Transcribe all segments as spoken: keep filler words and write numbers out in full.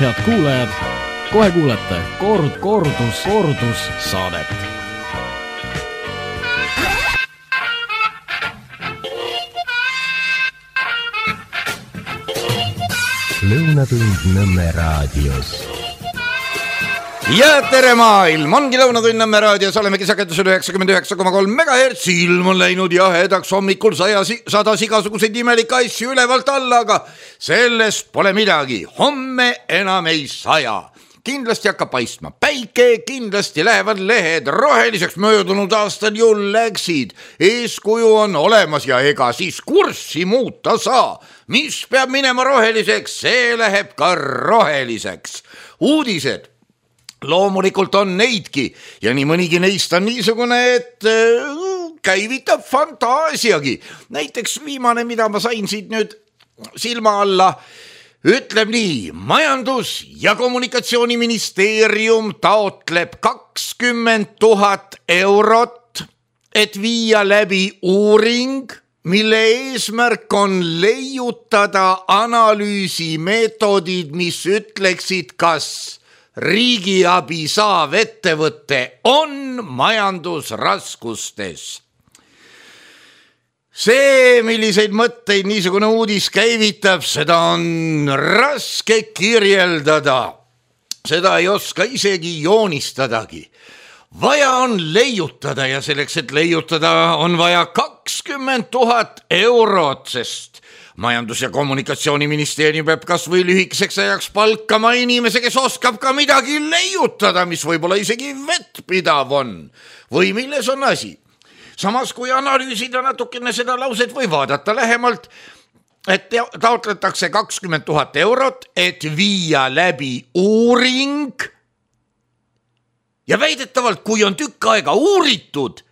Head kuulajad, kohe kuulete kord, kordus, kordus saadet. Lõunatund Nõmme raadios. Ja tere maailm, ongi Lõunatund Nõmme raadios, olemegi sagedusel üheksakümmend üheksa koma kolm megahertsi, ilm on läinud jahedaks hommikul sajas, sadas igasuguseid imelikke asju ülevalt alla, aga sellest pole midagi, homme enam ei saja. Kindlasti hakkab paistma päike, kindlasti lähevad lehed roheliseks, möödunud aastal ju läksid. Eeskuju on olemas ja ega siis kurssi muuta saa. Mis peab minema roheliseks, see läheb ka roheliseks. Uudised loomulikult on neidki ja nii mõnigi neist on niisugune, et käivitab fantaasiagi. Näiteks viimane, mida ma sain siit nüüd silma alla, ütleb nii, majandus- ja kommunikatsiooniministeerium taotleb kakskümmend tuhat eurot, et viia läbi uuring, mille eesmärk on leiutada analüüsimeetodid, mis ütleksid, kas riigiabi saav ettevõte on majandusraskustes. See, milliseid mõtteid niisugune uudis käivitab, seda on raske kirjeldada. Seda ei oska isegi joonistadagi. Vaja on leiutada ja selleks, et leiutada, on vaja kakskümmend tuhat eurot, sest majandus- ja kommunikatsiooniministeerium peab kas või lühikeseks ajaks palkama inimese, kes oskab ka midagi leiutada, mis võib-olla isegi vettpidav on. Või milles on asi? Samas kui analüüsida natukene seda lauset või vaadata lähemalt, et taotletakse kakskümmend tuhat eurot, et viia läbi uuring ja väidetavalt, kui on tükk aega uuritud,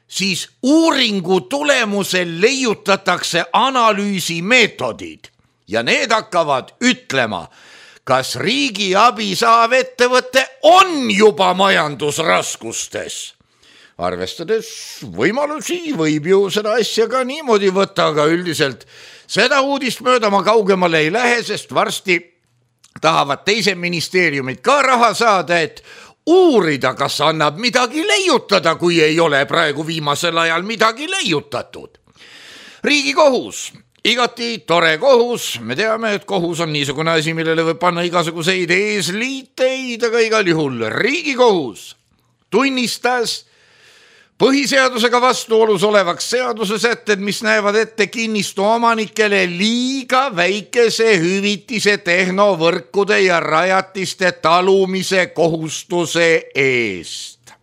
siis uuringu tulemusel leiutatakse analüüsimeetodid ja need hakkavad ütlema, kas riigiabi saav ettevõte on juba majandusraskustes. Arvestades võimalusi võib ju seda asja ka niimoodi võtta, aga üldiselt seda uudist mööda ma kaugemale ei lähe, sest varsti tahavad teise ministeeriumid ka raha saada, et uurida, kas annab midagi leiutada, kui ei ole praegu viimasel ajal midagi leiutatud. Riigikohus, igati tore kohus, me teame, et kohus on niisugune asi, millele võib panna igasuguseid eesliiteid, aga igal juhul Riigikohus tunnistas põhiseadusega vastuolus olevaks seaduse sätted, mis näevad ette kinnistu omanikele liiga väikese hüvitise tehnovõrkude ja rajatiste talumise kohustuse eest.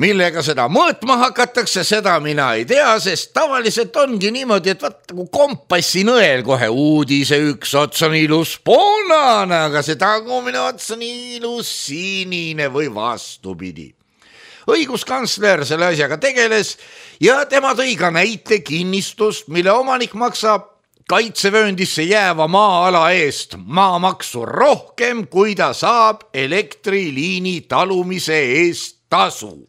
Millega seda mõõtma hakatakse, seda mina ei tea, sest tavaliselt ongi niimoodi, et vaata kui kompassinõel kohe uudise üks ots on ilus punane, aga see tagumine ots on ilus sinine või vastupidi. Õiguskantsler selle asjaga tegeles ja tema tõi ka näite kinnistust, mille omanik maksab kaitsevööndisse jääva maa-ala eest maamaksu rohkem, kui ta saab elektriliini talumise eest tasu.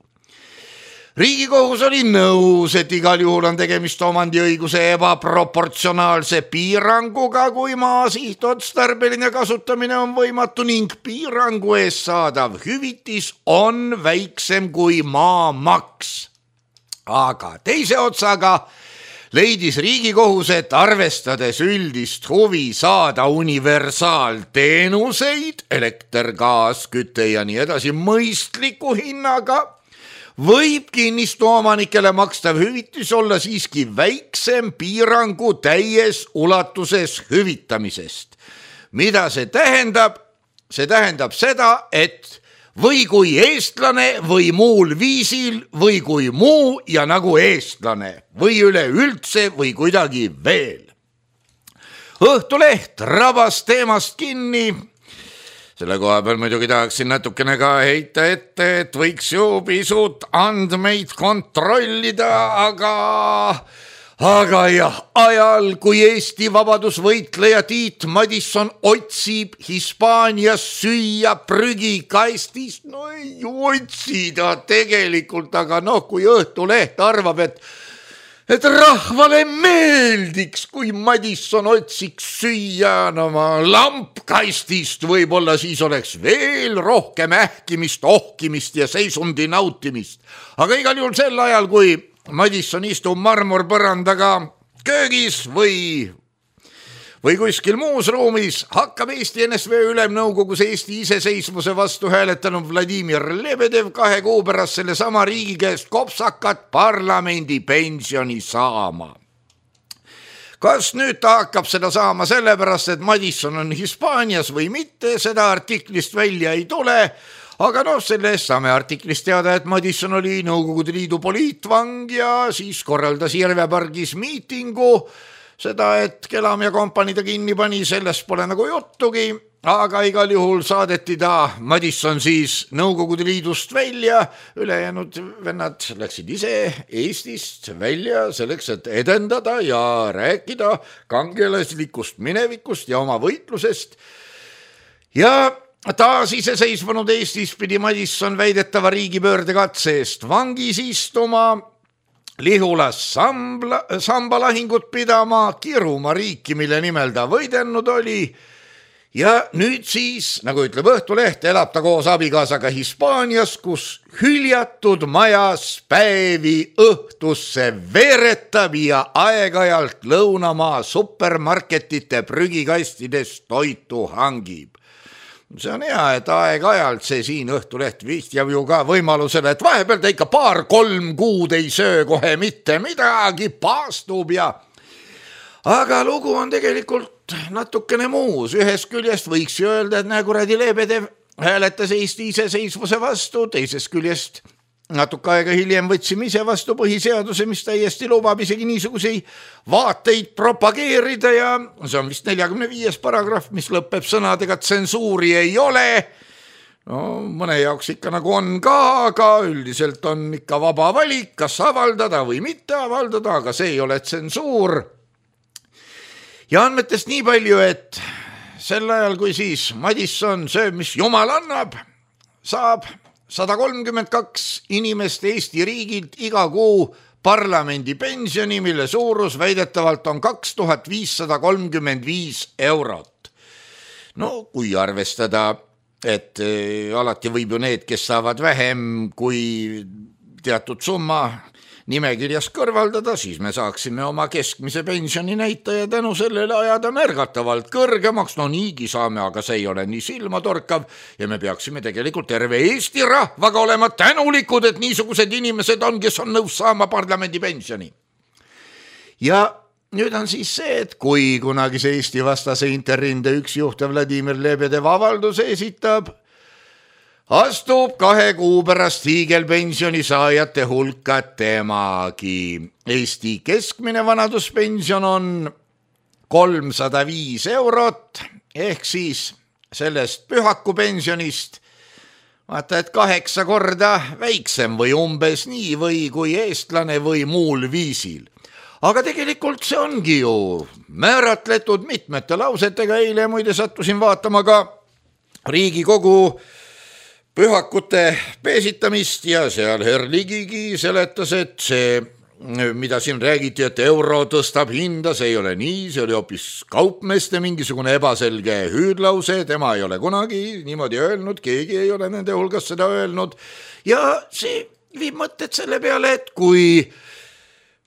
Riigikohus oli nõus, et igal juhul on tegemist omandiõiguse ebaproportsionaalse piiranguga, kui maa sihtotstarbeline kasutamine on võimatu ning piirangu eest saadav hüvitis on väiksem kui maamaks. Aga teise otsaga leidis Riigikohus, et arvestades üldist huvi saada universaalteenuseid, elekter, gaas, küte ja nii edasi mõistliku hinnaga, võib kinnistu omanikele makstav hüvitis olla siiski väiksem piirangu täies ulatuses hüvitamisest. Mida see tähendab? See tähendab seda, et või kui eestlane või muul viisil või kui muu ja nagu eestlane või üleüldse või kuidagi veel. Õhtuleht rabas teemast kinni. Selle koha peal muidugi tahaksin natukene ka heita ette, et võiks ju pisut andmeid kontrollida, aga, aga jah, ajal, kui Eesti vabadusvõitleja Tiit Madisson otsib Hispaanias süüa prügikastist, no ei otsi ta tegelikult, aga noh, kui Õhtuleht arvab, et et rahvale meeldiks, kui Madisson otsiks süüa oma lampkastist, võib-olla siis oleks veel rohkem ähkimist, ohkimist ja seisundi nautimist. Aga igal juhul sel ajal, kui Madisson istub marmorpõrandaga köögis või või kuskil muus ruumis, hakkab Eesti N S V Ülemnõukogus Eesti iseseisvuse vastu hääletanud Vladimir Lebedev kahe kuu pärast selle sama riigi käest kopsakat parlamendi pensioni saama. Kas nüüd ta hakkab seda saama sellepärast, et Madisson on Hispaanias või mitte, seda artiklist välja ei tule, aga noh, selle eest saame artiklist teada, et Madisson oli Nõukogude Liidu poliitvang ja siis korraldas Järvepargis miitingu. Seda, et Kelam ja kompanii ta kinni pani, sellest pole nagu juttugi, aga igal juhul saadeti ta Madisson siis Nõukogude Liidust välja, ülejäänud vennad läksid ise Eestist välja selleks, et edendada ja rääkida kangelaslikust minevikust ja oma võitlusest. Ja taas iseseisvunud Eestis pidi Madisson väidetava riigipöörde katse eest vangis istuma, Lihulas sambla, sambalahingut pidama, kiruma riiki, mille nimel ta võidelnud oli. Ja nüüd siis, nagu ütleb Õhtuleht, elab ta koos abikaasaga Hispaanias, kus hüljatud majas päevi õhtusse veeretab ja aeg-ajalt lõunamaa supermarketite prügikastidest toitu hangib. See on hea, et aeg-ajalt see siin Õhtuleht vihjab ju ka võimalusele, et vahepeal ta ikka paar-kolm kuud ei söö kohe mitte midagi, paastub ja... Aga lugu on tegelikult natukene muus. Ühest küljest võiks ju öelda, et näe kuradi Lebedev hääletas Eesti iseseisvuse vastu, teisest küljest natuke aega hiljem võtsime ise vastu põhiseaduse, mis täiesti lubab isegi niisuguseid vaateid propageerida ja see on vist neljakümne viies paragrahv, mis lõpeb sõnadega, tsensuuri ei ole. No mõne jaoks ikka nagu on ka, aga üldiselt on ikka vaba valik, kas avaldada või mitte avaldada, aga see ei ole tsensuur. Ja andmetest nii palju, et sel ajal, kui siis Madisson sööb, mis jumal annab, saab sada kolmkümmend kaks inimest Eesti riigilt iga kuu parlamendi pensioni, mille suurus väidetavalt on kaks tuhat viissada kolmkümmend viis eurot. No kui arvestada, et alati võib ju need, kes saavad vähem kui teatud summa nimekirjas kõrvaldada, siis me saaksime oma keskmise pensioni näitaja tänu sellele ajada märgatavalt kõrgemaks. No niigi saame, aga see ei ole nii silmatorkav ja me peaksime tegelikult terve Eesti rahvaga olema tänulikud, et niisugused inimesed on, kes on nõus saama parlamendi pensioni. Ja nüüd on siis see, et kui kunagi see Eesti vastase interrinde üks juht Vladimir Lebedev avalduse esitab, astub kahe kuu pärast hiigelpensioni saajate hulka temagi. Eesti keskmine vanaduspension on kolmsada viis eurot, ehk siis sellest pühakupensionist vaata, et kaheksa korda väiksem või umbes nii või kui eestlane või muul viisil. Aga tegelikult see ongi ju määratletud mitmete lausetega. Eile muide sattusin vaatama ka Riigikogu pühakute peesitamist ja seal Herr Ligigi seletas, et see, mida siin räägiti, et euro tõstab hinda, see ei ole nii, see oli hoopis kaupmeeste mingisugune ebaselge hüüdlause, tema ei ole kunagi niimoodi öelnud, keegi ei ole nende hulgas seda öelnud ja see viib mõtted selle peale, et kui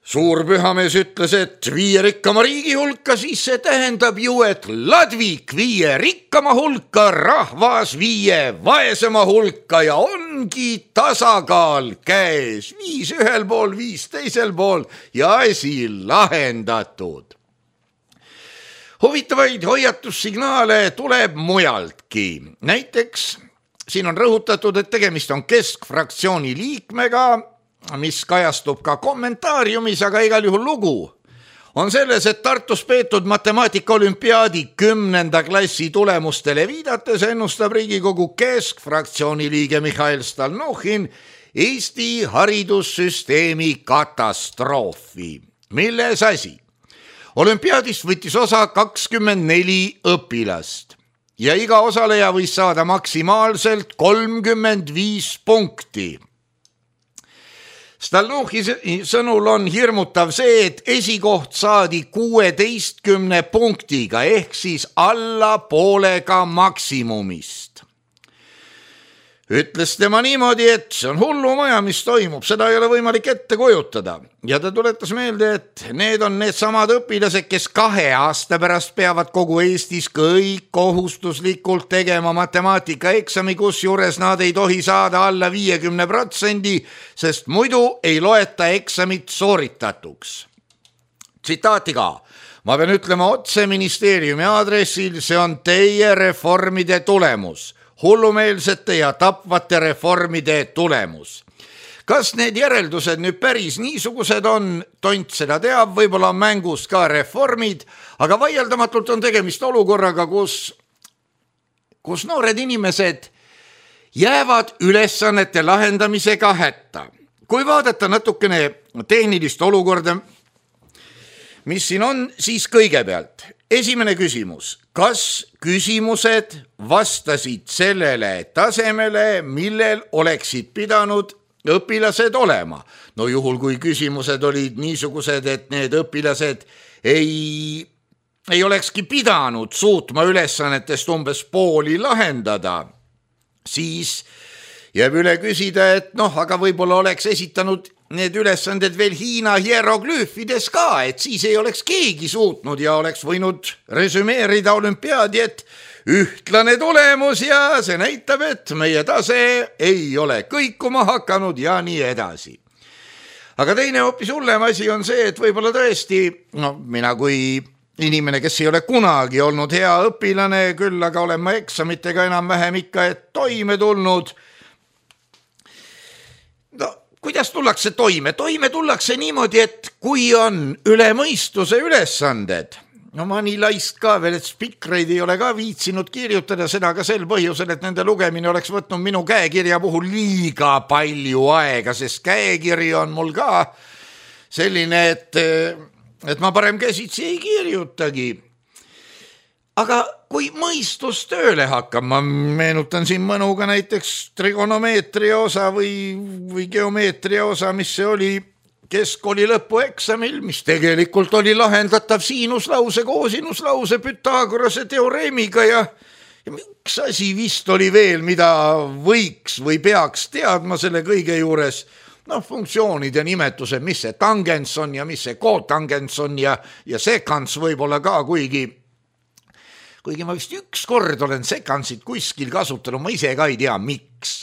suurpühamees ütles, et viie rikkama riigi hulka, siis see tähendab ju, et Ladvik viie rikkama hulka, rahvas viie vaesema hulka ja ongi tasakaal käes. Viis ühel pool, viis teisel pool ja asi lahendatud. Huvitavaid hoiatussignaale tuleb mujaltki. Näiteks siin on rõhutatud, et tegemist on keskfraktsiooni liikmega, mis kajastub ka kommentaariumis, aga igal juhul lugu on selles, et Tartus peetud matemaatika olümpiaadi kümnenda klassi tulemustele viidates ennustab Riigikogu keskfraktsiooni liige Mihhail Stalnuhhin Eesti haridussüsteemi katastroofi. Milles asi? Olümpiaadist võttis osa kakskümmend neli õpilast ja iga osaleja võis saada maksimaalselt kolmkümmend viis punkti. Stalnuhhi sõnul on hirmutav see, et esikoht saadi kuueteistkümne punktiga ehk siis alla poolega maksimumist. Ütles tema niimoodi, et see on hullumaja, mis toimub, seda ei ole võimalik ette kujutada. Ja ta tuletas meelde, et need on need samad õpilased, kes kahe aasta pärast peavad kogu Eestis kõik kohustuslikult tegema matemaatikaeksami, kus juures nad ei tohi saada alla viiekümne protsendi, sest muidu ei loeta eksamit sooritatuks. Tsitaati ka. Ma pean ütlema otse ministeeriumi aadressil, see on teie reformide tulemus. Hullumeelsete ja tapvate reformide tulemus. Kas need järeldused nüüd päris niisugused on, tont seda teab, võib-olla on mängus ka reformid, aga vaieldamatult on tegemist olukorraga, kus, kus noored inimesed jäävad ülesannete lahendamisega hätta. Kui vaadata natukene tehnilist olukorda, mis siin on, siis kõigepealt esimene küsimus. Kas küsimused vastasid sellele tasemele, millel oleksid pidanud õpilased olema? No juhul, kui küsimused olid niisugused, et need õpilased ei, ei olekski pidanud suutma ülesannetest umbes pooli lahendada, siis jääb üle küsida, et noh, aga võib-olla oleks esitanud need ülesanded veel Hiina hieroglüüfides ka, et siis ei oleks keegi suutnud ja oleks võinud resümeerida olümpiaadi, et ühtlane tulemus ja see näitab, et meie tase ei ole kõikuma hakanud ja nii edasi. Aga teine hoopis hullem asi on see, et võib-olla tõesti, no mina kui inimene, kes ei ole kunagi olnud hea õpilane, küll aga olen ma eksamitega enam-vähem ikka et toime tulnud. No kuidas tullakse toime? Toime tullakse niimoodi, et kui on üle mõistuse ülesanded, no ma nii laist ka veel, et spikreid ei ole ka viitsinud kirjutada, seda ka sel põhjusel, et nende lugemine oleks võtnud minu käekirja puhul liiga palju aega, sest käekiri on mul ka selline, et, et ma parem käsitsi ei kirjutagi. Aga kui mõistus tööle hakkab, ma meenutan siin mõnuga näiteks trigonomeetria osa või, või geomeetria osa, mis see oli keskkooli lõpueksamil, mis tegelikult oli lahendatav siinuslause, koosinuslause, Pythagorase teoreemiga ja, ja üks asi vist oli veel, mida võiks või peaks teadma selle kõige juures, noh, funktsioonide nimetused, mis see tangens on ja mis see kotangens on ja, ja sekans võib-olla ka, kuigi kuigi ma vist üks kord olen sekansid kuskil kasutanud, ma ise ka ei tea, miks.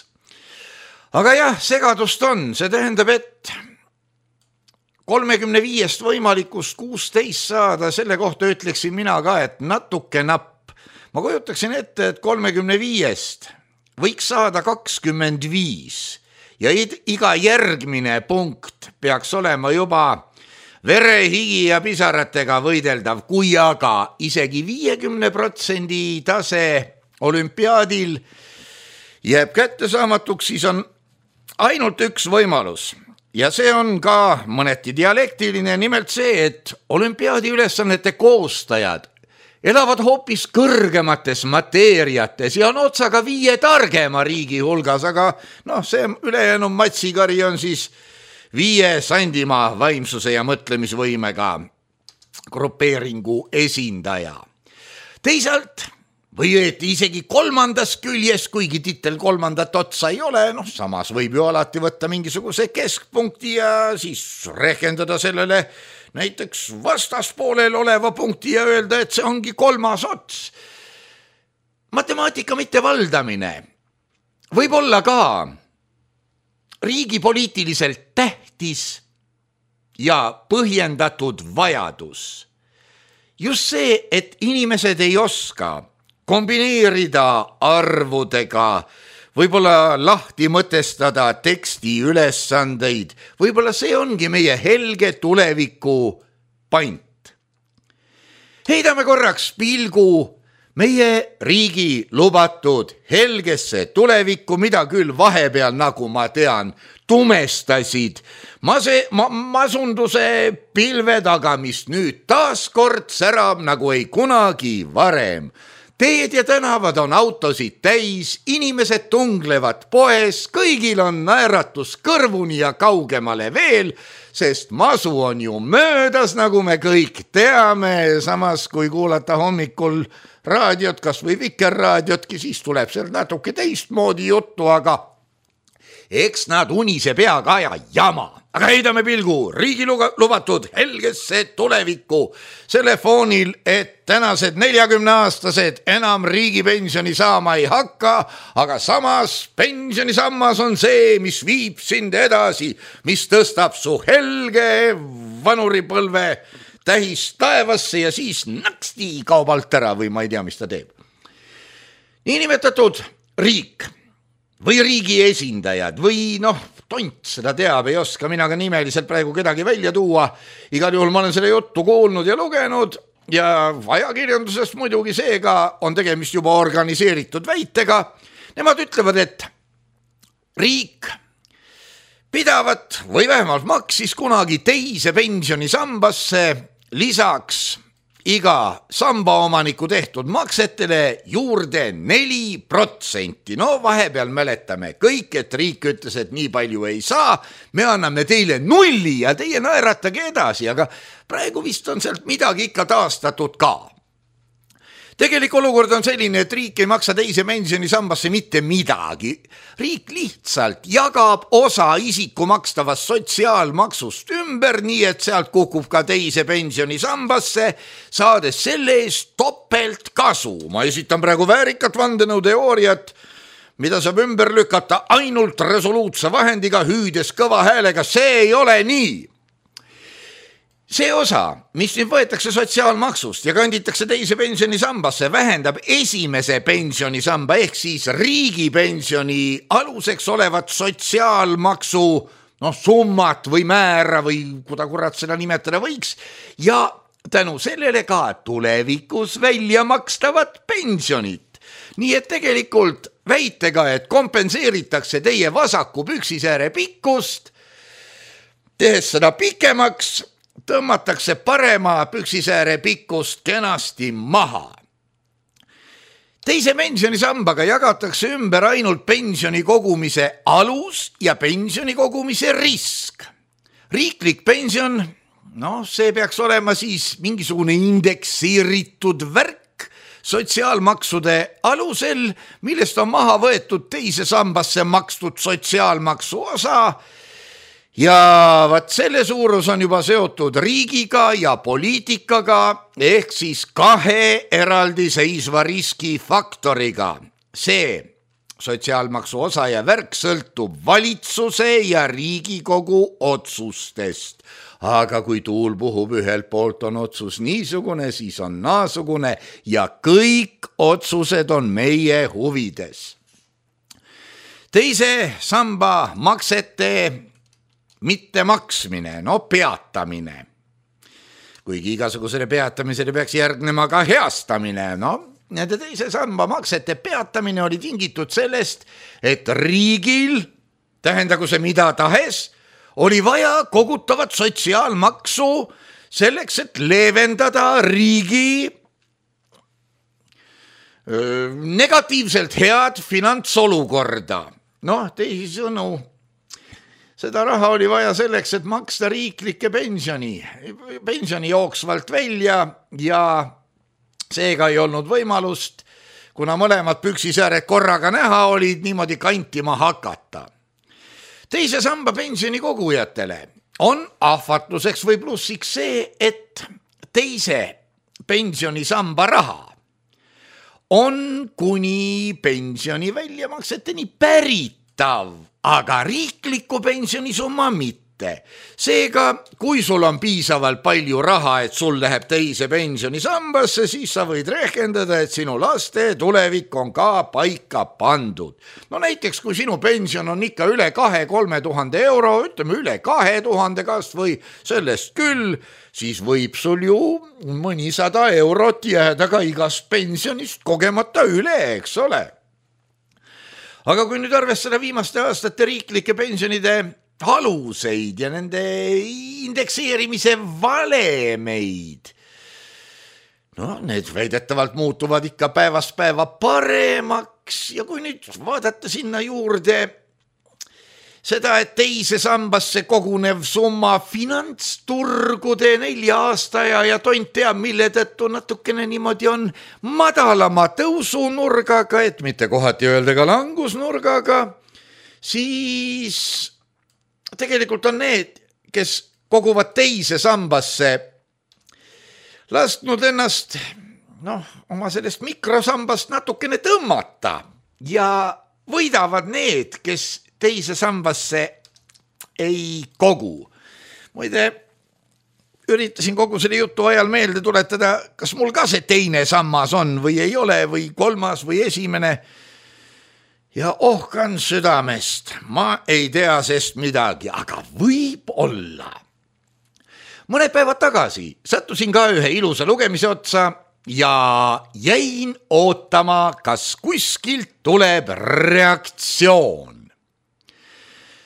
Aga jah, segadust on, see tähendab, et kolmekümne viiest võimalikust kuusteist saada, selle kohta ütleksin mina ka, et natuke napp. Ma kujutaksin ette, et kolmekümne viiest võiks saada kakskümmend viis ja iga järgmine punkt peaks olema juba vere, higi ja pisaratega võideldav, kui aga isegi viiekümne protsendi tase olümpiaadil jääb kättesaamatuks, siis on ainult üks võimalus. Ja see on ka mõneti dialektiline, nimelt see, et olümpiaadi ülesannete koostajad elavad hoopis kõrgemates mateeriates ja on otsaga viie targema riigi hulgas, aga noh, see ülejäänud matsikari on siis viie Sandimaa vaimsuse ja mõtlemisvõimega grupeeringu esindaja. Teisalt või õieti isegi kolmandas küljes, kuigi titel kolmandat otsa ei ole, noh samas võib ju alati võtta mingisuguse keskpunkti ja siis rehkendada sellele näiteks vastaspoolel oleva punkti ja öelda, et see ongi kolmas ots. Matemaatika mittevaldamine võib olla ka riigi poliitiliselt tähtis ja põhjendatud vajadus. Just see, et inimesed ei oska kombineerida arvudega, võib-olla lahti mõtestada teksti ülesandeid, võib-olla see ongi meie helge tuleviku pant. Heidame korraks pilgu meie riigi lubatud helgesse tulevikku, mida küll vahepeal, nagu ma tean, tumestasid mase, ma, masunduse pilve taga, mis nüüd taaskord särab nagu ei kunagi varem. teed ja tänavad on autosid täis, inimesed tunglevad poes, kõigil on naeratus kõrvuni ja kaugemale veel, sest masu on ju möödas, nagu me kõik teame, samas kui kuulata hommikul raadiot, kas või Vikerraadiotki, siis tuleb seal natuke teistmoodi juttu, aga eks nad unise peaga aja jama. Aga heidame pilgu riigi lubatud helgesse tulevikku selle foonil, et tänased neljakümneaastased enam riigipensioni saama ei hakka, aga samas pensionisammas on see, mis viib sind edasi, mis tõstab su helge vanuripõlve tähis taevasse ja siis naksti kaob alt ära või ma ei tea, mis ta teeb. Niinimetatud riik või riigi esindajad või noh, tont seda teab, ei oska mina ka nimeliselt praegu kedagi välja tuua. Igal juhul ma olen selle juttu kuulnud ja lugenud ja ajakirjandusest muidugi seega on tegemist juba organiseeritud väitega. Nemad ütlevad, et riik pidavat või vähemalt maksis kunagi teise pensionisambasse lisaks iga sambaomaniku tehtud maksetele juurde neli protsenti. No vahepeal mäletame kõik, et riik ütles, et nii palju ei saa, me anname teile nulli ja teie naeratage edasi, aga praegu vist on sealt midagi ikka taastatud ka. Tegelik olukord on selline, et riik ei maksa teise pensionisambasse mitte midagi. Riik lihtsalt jagab osa isiku makstavast sotsiaalmaksust ümber, nii et sealt kukub ka teise pensionisambasse, saades selle eest topelt kasu. Ma esitan praegu väärikat vandenõuteooriat, mida saab ümber lükata ainult resoluutse vahendiga, hüüdes kõva häälega, see ei ole nii. See osa, mis nüüd võetakse sotsiaalmaksust ja kanditakse teise pensionisambasse, vähendab esimese pensionisamba ehk siis riigipensioni aluseks olevat sotsiaalmaksu noh, summat või määra või kuda kurat seda nimetada võiks ja tänu sellele ka tulevikus välja makstavat pensionit. Nii et tegelikult väitega, et kompenseeritakse teie vasaku püksisääre pikkust, tehes seda pikemaks, tõmmatakse parema püksisääre pikkust kenasti maha. Teise pensionisambaga jagatakse ümber ainult pensioni kogumise alus ja pensioni kogumise risk. Riiklik pension, noh, see peaks olema siis mingisugune indeksiiritud värk sotsiaalmaksude alusel, millest on maha võetud teise sambasse makstud sotsiaalmaksu osa. Ja vaat selle suurus on juba seotud riigiga ja poliitikaga ehk siis kahe eraldi seisva riskifaktoriga. See sotsiaalmaksu osa ja värk sõltub valitsuse ja Riigikogu otsustest. Aga kui tuul puhub ühelt poolt on otsus niisugune, siis on naasugune ja kõik otsused on meie huvides. Teise samba maksete mitte maksmine, no peatamine. Kuigi igasugusele peatamisele peaks järgnema ka heastamine, no nende teise samba maksete peatamine oli tingitud sellest, et riigil, tähendagu see mida tahes, oli vaja kogutavat sotsiaalmaksu selleks, et leevendada riigi öö, negatiivselt head finantsolukorda. Noh, teisisõnu, seda raha oli vaja selleks, et maksta riiklikke pensioni, pensioni jooksvalt välja ja seega ei olnud võimalust, kuna mõlemad püksisääred korraga näha olid, niimoodi kantima hakata. Teise samba pensioni kogujatele on ahvatluseks või plussiks see, et teise pensionisamba raha on kuni pensioni väljamakseteni päritav, aga riikliku pensionisumma mitte. Seega, kui sul on piisavalt palju raha, et sul läheb teise pensionisambasse, siis sa võid rehkendada, et sinu laste tulevik on ka paika pandud. No näiteks, kui sinu pension on ikka üle kahe-kolme tuhande euro, ütleme üle kahe tuhande kas või sellest küll, siis võib sul ju mõnisada eurot jääda ka igast pensionist kogemata üle, eks ole. Aga kui nüüd arvestada viimaste aastate riiklike pensionide aluseid ja nende indekseerimise valemeid, no need väidetavalt muutuvad ikka päevast päeva paremaks ja kui nüüd vaadata sinna juurde seda, et teise sambasse kogunev summa finantsturgude nelja aastaja ja tont teab, mille tõttu natukene niimoodi on madalama tõusunurgaga, et mitte kohati öelda ka langusnurgaga, siis tegelikult on need, kes koguvad teise sambasse, lasknud ennast noh, oma sellest mikrosambast natukene tõmmata ja võidavad need, kes teise sambasse ei kogu. Muide, üritasin kogu selle jutu ajal meelde tuletada, kas mul ka see teine sammas on või ei ole või kolmas või esimene. Ja ohkan südamest, ma ei tea sest midagi, aga võib olla. Mõned päevad tagasi sattusin ka ühe ilusa lugemise otsa ja jäin ootama, kas kuskilt tuleb reaktsioon.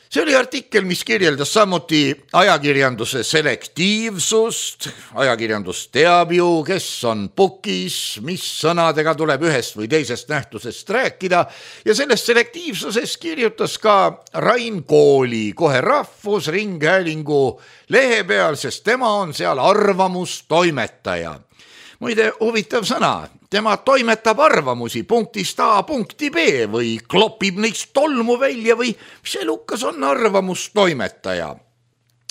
See oli artikkel, mis kirjeldas samuti ajakirjanduse selektiivsust. Ajakirjandus teab ju, kes on pukis, mis sõnadega tuleb ühest või teisest nähtusest rääkida ja sellest selektiivsusest kirjutas ka Rain Kooli kohe Rahvusringhäälingu lehe peal, sest tema on seal arvamustoimetaja. Muide, huvitav sõna. Tema toimetab arvamusi punktist A punkti B või klopib neist tolmu välja või mis elukas on arvamustoimetaja.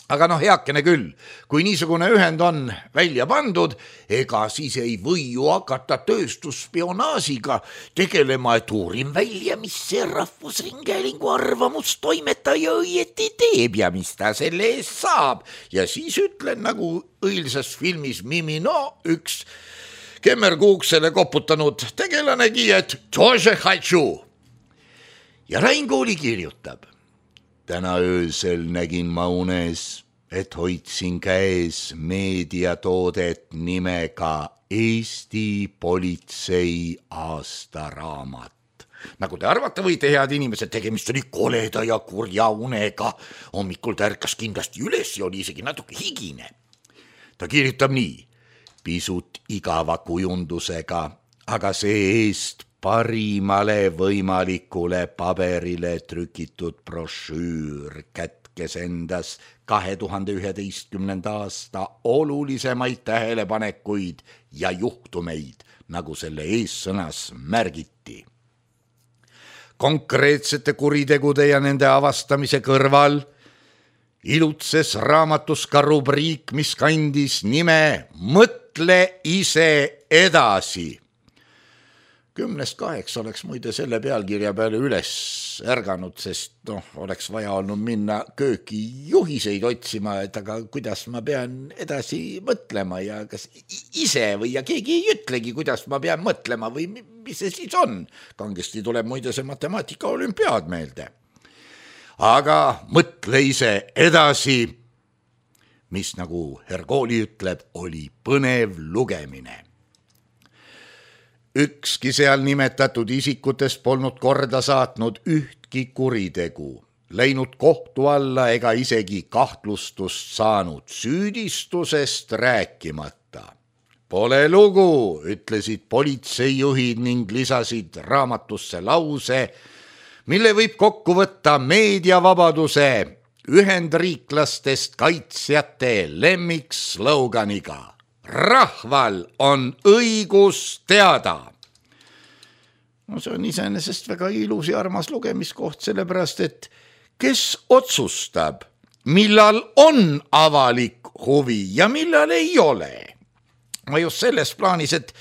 Aga noh, heakene küll, kui niisugune ühend on välja pandud, ega siis ei või ju hakata tööstusspionaasiga tegelema, et uurin välja, mis see Rahvusringhäälingu arvamustoimetaja õieti teeb ja mis ta selle eest saab. Ja siis ütlen nagu õilsas filmis Mimino üks kemmerkuuksele koputanud tegelanegi, et тоже хочу. Ja Rain Kooli kirjutab. Täna öösel nägin ma unes, et hoidsin käes meediatoodet nimega Eesti politsei aastaraamat. Nagu te arvata võite, head inimesed, tegemist oli koleda ja kurja unega. Hommikul ta ärkas kindlasti üles ja oli isegi natuke higine. Ta kirjutab nii. Pisut igava kujundusega, aga see eest parimale võimalikule paberile trükitud brošüür kätkes endas kahe tuhande üheteistkümnenda aasta olulisemaid tähelepanekuid ja juhtumeid, nagu selle eessõnas märgiti. Konkreetsete kuritegude ja nende avastamise kõrval ilutses raamatus ka rubriik, mis kandis nime Mõtle ise edasi. Kümnest kaheksa oleks muide selle pealkirja peale üles ärganud, sest noh, oleks vaja olnud minna kööki juhiseid otsima, et aga kuidas ma pean edasi mõtlema ja kas ise või ja keegi ei ütlegi, kuidas ma pean mõtlema või mis see siis on. Kangesti tuleb muide see matemaatika olümpiaad meelde. Aga mõtle ise edasi, mis nagu Herkooli ütleb, oli põnev lugemine. Ükski seal nimetatud isikutest polnud korda saatnud ühtki kuritegu, läinud kohtu alla ega isegi kahtlustust saanud, süüdistusest rääkimata. Pole lugu, ütlesid politseijuhid ning lisasid raamatusse lause, mille võib kokku võtta meediavabaduse ühendriiklastest kaitsjate lemmiksloganiga. Rahval on õigus teada. No see on iseenesest väga ilus ja armas lugemiskoht, sellepärast et kes otsustab, millal on avalik huvi ja millal ei ole. Ma just selles plaanis, et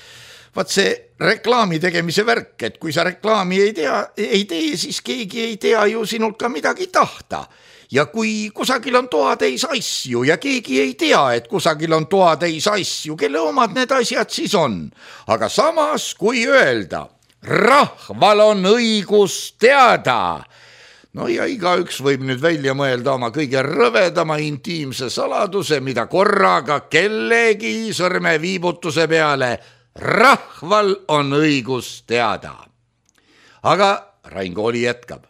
vaat see reklaami tegemise värk, et kui sa reklaami ei tea, ei tee, siis keegi ei tea ju sinult ka midagi tahta. Ja kui kusagil on toatäis asju ja keegi ei tea, et kusagil on toatäis asju, kelle omad need asjad siis on. Aga samas, kui öelda, rahval on õigus teada. No ja igaüks võib nüüd välja mõelda oma kõige rõvedama intiimse saladuse, mida korraga kellegi sõrme viibutuse peale rahval on õigus teada. Aga Rain Kooli jätkab.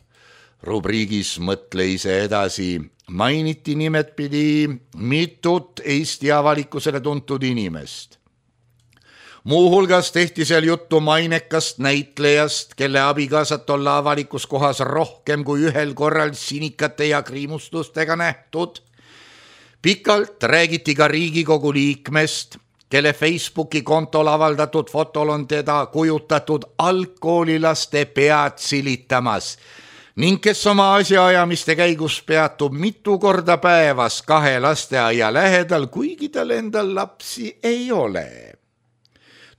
Rubriigis Mõtle ise edasi mainiti nimetpidi mitut Eesti avalikkusele tuntud inimest. Muuhulgas tehti seal juttu mainekast näitlejast, kelle abikaasat olla avalikus kohas rohkem kui ühel korral sinikate ja kriimustustega nähtud. Pikalt räägiti ka Riigikogu liikmest, kelle Facebooki kontol avaldatud fotol on teda kujutatud algkoolilaste pead silitamas ning kes oma asjaajamiste käigus peatub mitu korda päevas kahe lasteaia lähedal, kuigi tal endal lapsi ei ole.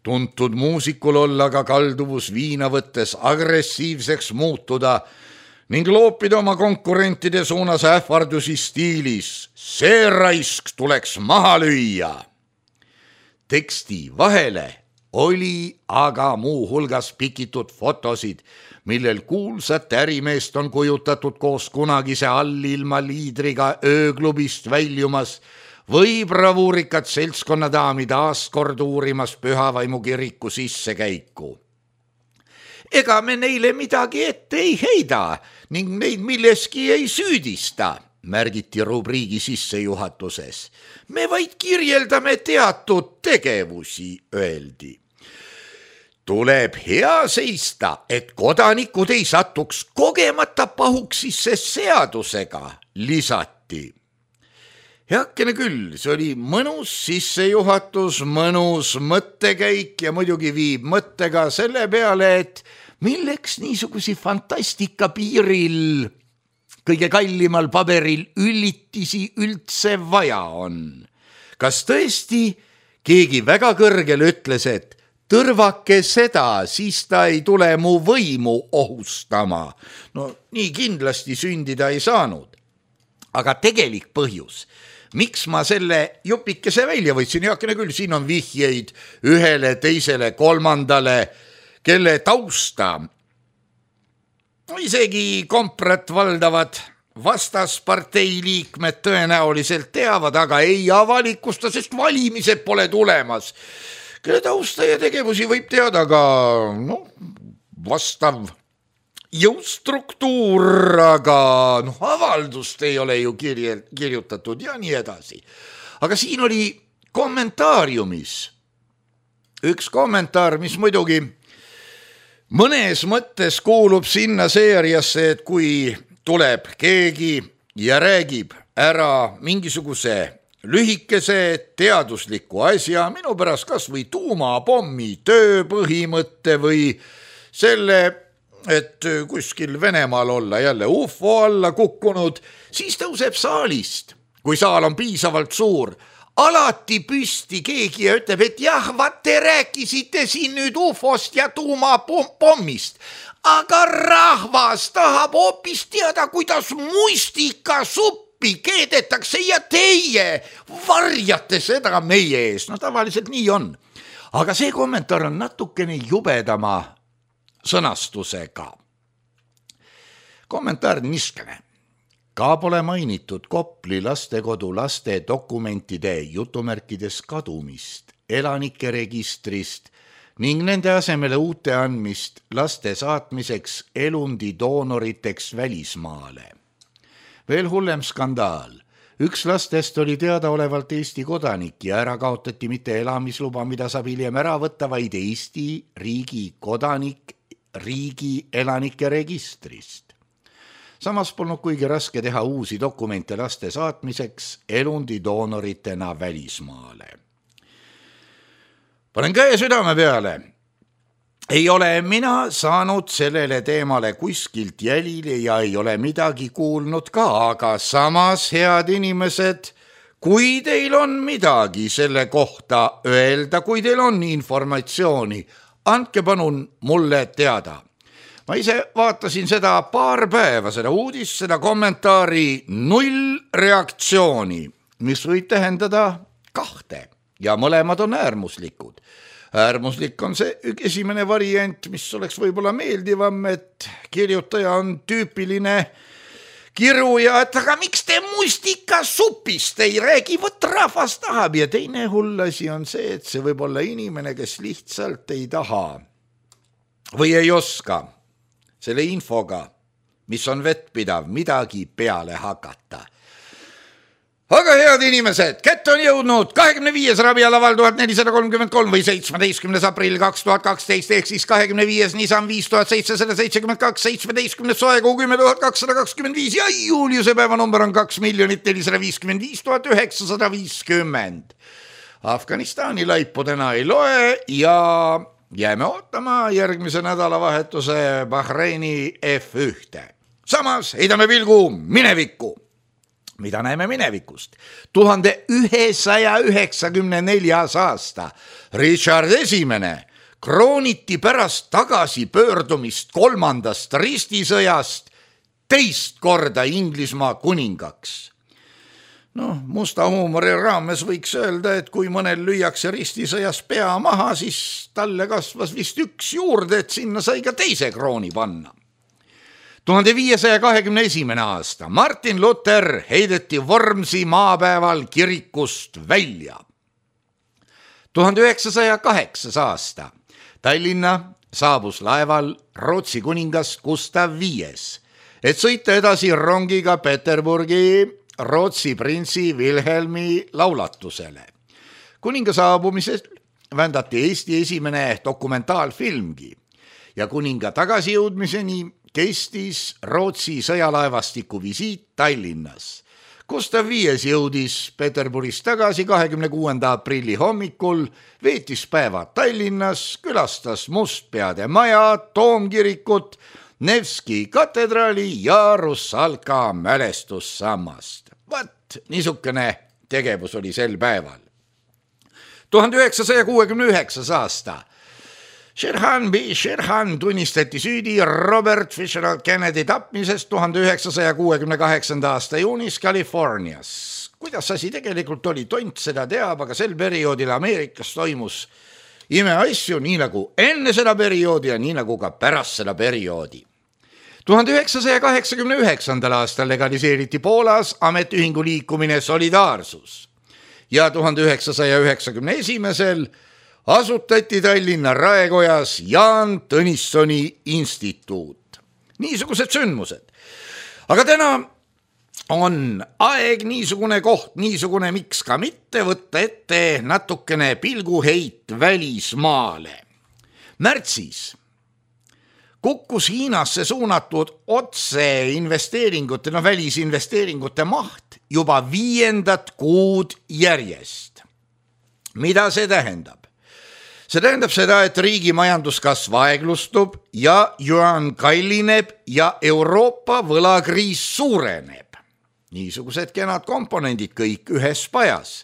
Tuntud muusikul olla ka kalduvus viina võttes agressiivseks muutuda ning loopida oma konkurentide suunas ähvardusi stiilis. See raisk tuleks maha lüüa. Teksti vahele oli aga muu hulgas pikitud fotosid, millel kuulsat ärimeest on kujutatud koos kunagise allilma liidriga ööklubist väljumas või bravuurikat seltskonnadaami taaskord uurimas Pühavaimu kiriku sissekäiku. Ega me neile midagi ette ei heida ning neid milleski ei süüdista, märgiti rubriigi sissejuhatuses. Me vaid kirjeldame teatud tegevusi, öeldi. Tuleb hea seista, et kodanikud ei satuks kogemata pahuksisse seadusega, lisati. Heakene küll, see oli mõnus sissejuhatus, mõnus mõttekäik ja muidugi viib mõttega selle peale, et milleks niisugusi fantastika piiril kõige kallimal paberil üllitisi üldse vaja on. Kas tõesti keegi väga kõrgel ütles, et tõrvake seda, siis ta ei tule mu võimu ohustama. No nii kindlasti sündida ei saanud. Aga tegelik põhjus, miks ma selle jupikese välja võtsin, heakene küll, siin on vihjeid ühele, teisele, kolmandale, kelle tausta isegi komprat valdavad vastaspartei liikmed tõenäoliselt teavad, aga ei avalikusta, sest valimised pole tulemas. Kelle tausta ja tegevusi võib teada ka no, vastav jõustruktuur, aga no, avaldust ei ole ju kirje, kirjutatud ja nii edasi. Aga siin oli kommentaariumis üks kommentaar, mis muidugi mõnes mõttes kuulub sinna seeriasse, et kui tuleb keegi ja räägib ära mingisuguse lühikese teadusliku asja, minu pärast kas või tuumapommi tööpõhimõtte või selle, et kuskil Venemaal olla jälle U F O alla kukkunud, siis tõuseb saalist, kui saal on piisavalt suur, alati püsti keegi ja ütleb, et jah, vaat te rääkisite siin nüüd U F O-st ja tuumapommist, aga rahvas tahab hoopis teada, kuidas mustikasuppi keedetakse ja teie varjate seda meie ees. No tavaliselt nii on. Aga see kommentaar on natukene jubedama sõnastusega. Kommentaar niskene. Ka pole mainitud Kopli lastekodu laste dokumentide jutumärkides kadumist, elanike registrist ning nende asemele uute andmist laste saatmiseks elundi doonoriteks välismaale. Veel hullem skandaal. Üks lastest oli teadaolevalt Eesti kodanik ja ära kaotati mitte elamisluba, mida saab hiljem ära võtta, vaid Eesti riigi kodanik riigi elanike registrist. Samas polnud kuigi raske teha uusi dokumente laste saatmiseks elundi doonoritena välismaale. Panen käe südame peale. Ei ole mina saanud sellele teemale kuskilt jälile ja ei ole midagi kuulnud ka, aga samas, head inimesed, kui teil on midagi selle kohta öelda, kui teil on informatsiooni, andke palun mulle teada. Ma ise vaatasin seda paar päeva, seda uudist, seda kommentaari null reaktsiooni, mis võib tähendada kahte ja mõlemad on äärmuslikud. Äärmuslik on see esimene variant, mis oleks võib-olla meeldivam, et kirjutaja on tüüpiline kiruja, et aga miks te mustikasupist ei räägi, võt rahvas tahab. Ja teine hull asi on see, et see võib olla inimene, kes lihtsalt ei taha või ei oska selle infoga, mis on vettpidav, midagi peale hakata. aga head inimesed, kätte on jõudnud kahekümne viies ravialaval tuhat nelisada kolmkümmend kolm või seitsmeteistkümnes aprill kaks tuhat kaksteist ehk siis kahekümne viies Nissan viis tuhat seitsesada seitsekümmend kaks, seitsmeteistkümnes soekuu kümme tuhat kakssada kakskümmend viis ja Juliuse päevanumber on kaks miljonit nelisada viiskümmend viis tuhat üheksasada viiskümmend. Afganistani laipu täna ei loe ja jääme ootama järgmise nädalavahetuse Bahreini F ühte. Samas heidame pilgu minevikku. Mida näeme minevikust? tuhande ühesaja üheksakümne neljas aasta Richard Esimene krooniti pärast tagasipöördumist kolmandast ristisõjast teist korda Inglismaa kuningaks. No, musta huumori raames võiks öelda, et kui mõnel lüüakse ristisõjas pea maha, siis talle kasvas vist üks juurde, et sinna sai ka teise krooni panna. tuhande viiesaja kahekümne esimene aasta Martin Luther heideti Vormsi maapäeval kirikust välja. tuhande üheksasaja kaheksas aasta Tallinna saabus laeval Rootsi kuningas Gustav Viies, et sõita edasi rongiga Peterburgi Rootsi printsi Wilhelmi laulatusele. Kuninga saabumisel vändati Eesti esimene dokumentaalfilmgi ja kuninga tagasijõudmiseni kestis Rootsi sõjalaevastiku visiit Tallinnas. Gustav Viies jõudis Peterburist tagasi kahekümne kuuenda aprilli hommikul, veetis päevad Tallinnas, külastas Mustpeade maja, Toomkirikut, Nevski katedraali ja Russalka mälestussammast. Vat, niisugune tegevus oli sel päeval. tuhande üheksasaja kuuekümne üheksas aasta Sherhan B. Sherhan tunnistati süüdi Robert Fitzgerald Kennedy tapmisest tuhande üheksasaja kuuekümne kaheksanda aasta juunis Californias. Kuidas asi tegelikult oli, tont seda teab, aga sel perioodil Ameerikas toimus imeasju nii nagu enne seda perioodi ja nii nagu ka pärast seda perioodi. tuhande üheksasaja kaheksakümne üheksandal aastal legaliseeriti Poolas ametiühingu liikumine Solidaarsus ja tuhande üheksasaja üheksakümne esimesel asutati Tallinna Raekojas Jaan Tõnissoni instituut. Niisugused sündmused. Aga täna on aeg niisugune koht, niisugune miks ka mitte võtta ette natukene pilguheit välismaale. Märtsis kukkus Hiinasse suunatud otse investeeringute, no välisinvesteeringute maht juba viiendat kuud järjest. Mida see tähendab? See tähendab seda, et riigi majanduskasv aeglustub ja yuan kallineb ja Euroopa võlakriis suureneb. Niisugused kenad komponendid kõik ühes pajas.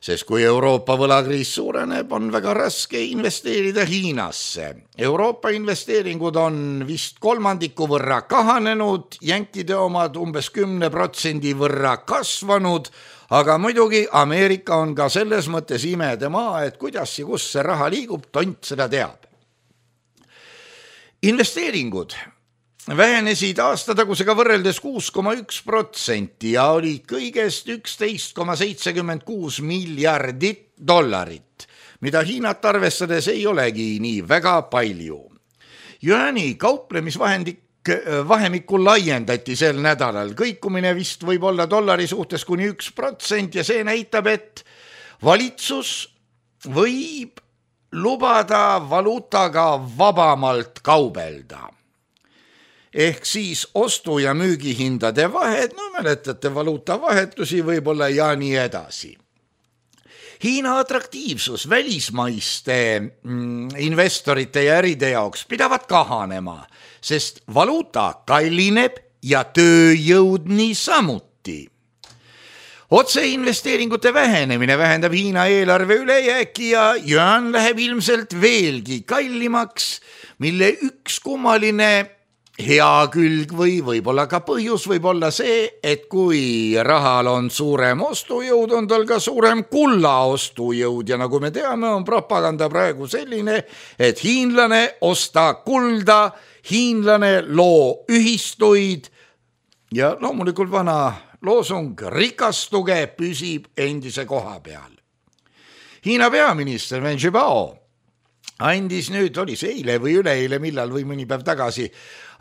Sest kui Euroopa võlakriis suureneb, on väga raske investeerida Hiinasse. Euroopa investeeringud on vist kolmandiku võrra kahanenud, jänkide omad umbes kümne protsendi võrra kasvanud, aga muidugi Ameerika on ka selles mõttes imede maa, et kuidas ja kus see raha liigub, tont seda teab. Investeeringud vähenesid aastatagusega võrreldes kuus koma üks protsenti ja olid kõigest üksteist koma seitsekümmend kuus miljardit dollarit, mida Hiinat arvestades ei olegi nii väga palju. Yuani kauplemisvahendik vahemikul laiendati sel nädalal. Kõikumine vist võib olla dollari suhtes kuni üks protsent ja see näitab, et valitsus võib lubada valuutaga vabamalt kaubelda. Ehk siis ostu- ja müügihindade vahed, no mäletate valuutavahetusi võib-olla ja nii edasi. Hiina atraktiivsus välismaiste investorite ja äride jaoks pidavat kahanema, sest valuuta kallineb ja tööjõud nii samuti. Otseinvesteeringute vähenemine vähendab Hiina eelarve ülejääki ja yuan läheb ilmselt veelgi kallimaks, mille üks kummaline hea külg või võib-olla ka põhjus võib olla see, et kui rahal on suurem ostujõud, on tal ka suurem kulla ostujõud ja nagu me teame, on propaganda praegu selline, et hiinlane osta kulda, hiinlane loo ühistuid ja loomulikult vana loosung rikastuge püsib endise koha peal. Hiina peaminister Wen Jiabao andis nüüd, oli see eile või üleeile, millal või mõni päev tagasi,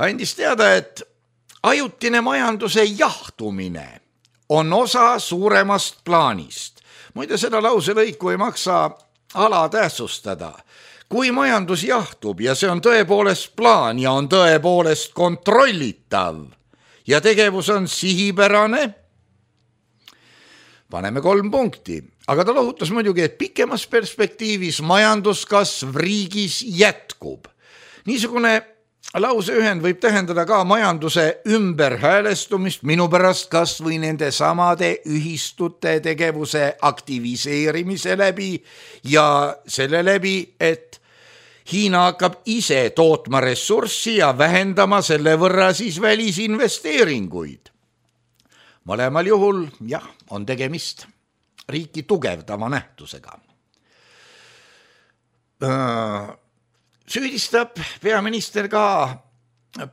andis teada, et ajutine majanduse jahtumine on osa suuremast plaanist. Muide, seda lauselõiku ei maksa alatähtsustada. Kui majandus jahtub ja see on tõepoolest plaan ja on tõepoolest kontrollitav ja tegevus on sihipärane, paneme kolm punkti. Aga ta lohutas muidugi, et pikemas perspektiivis majanduskasv riigis jätkub. Niisugune lauseühend võib tähendada ka majanduse ümberhäälestumist, minu pärast kas või nende samade ühistute tegevuse aktiviseerimise läbi ja selle läbi, et Hiina hakkab ise tootma ressurssi ja vähendama selle võrra siis välisinvesteeringuid. Mõlemal juhul, jah, on tegemist riiki tugevdava nähtusega. Süüdistab peaminister ka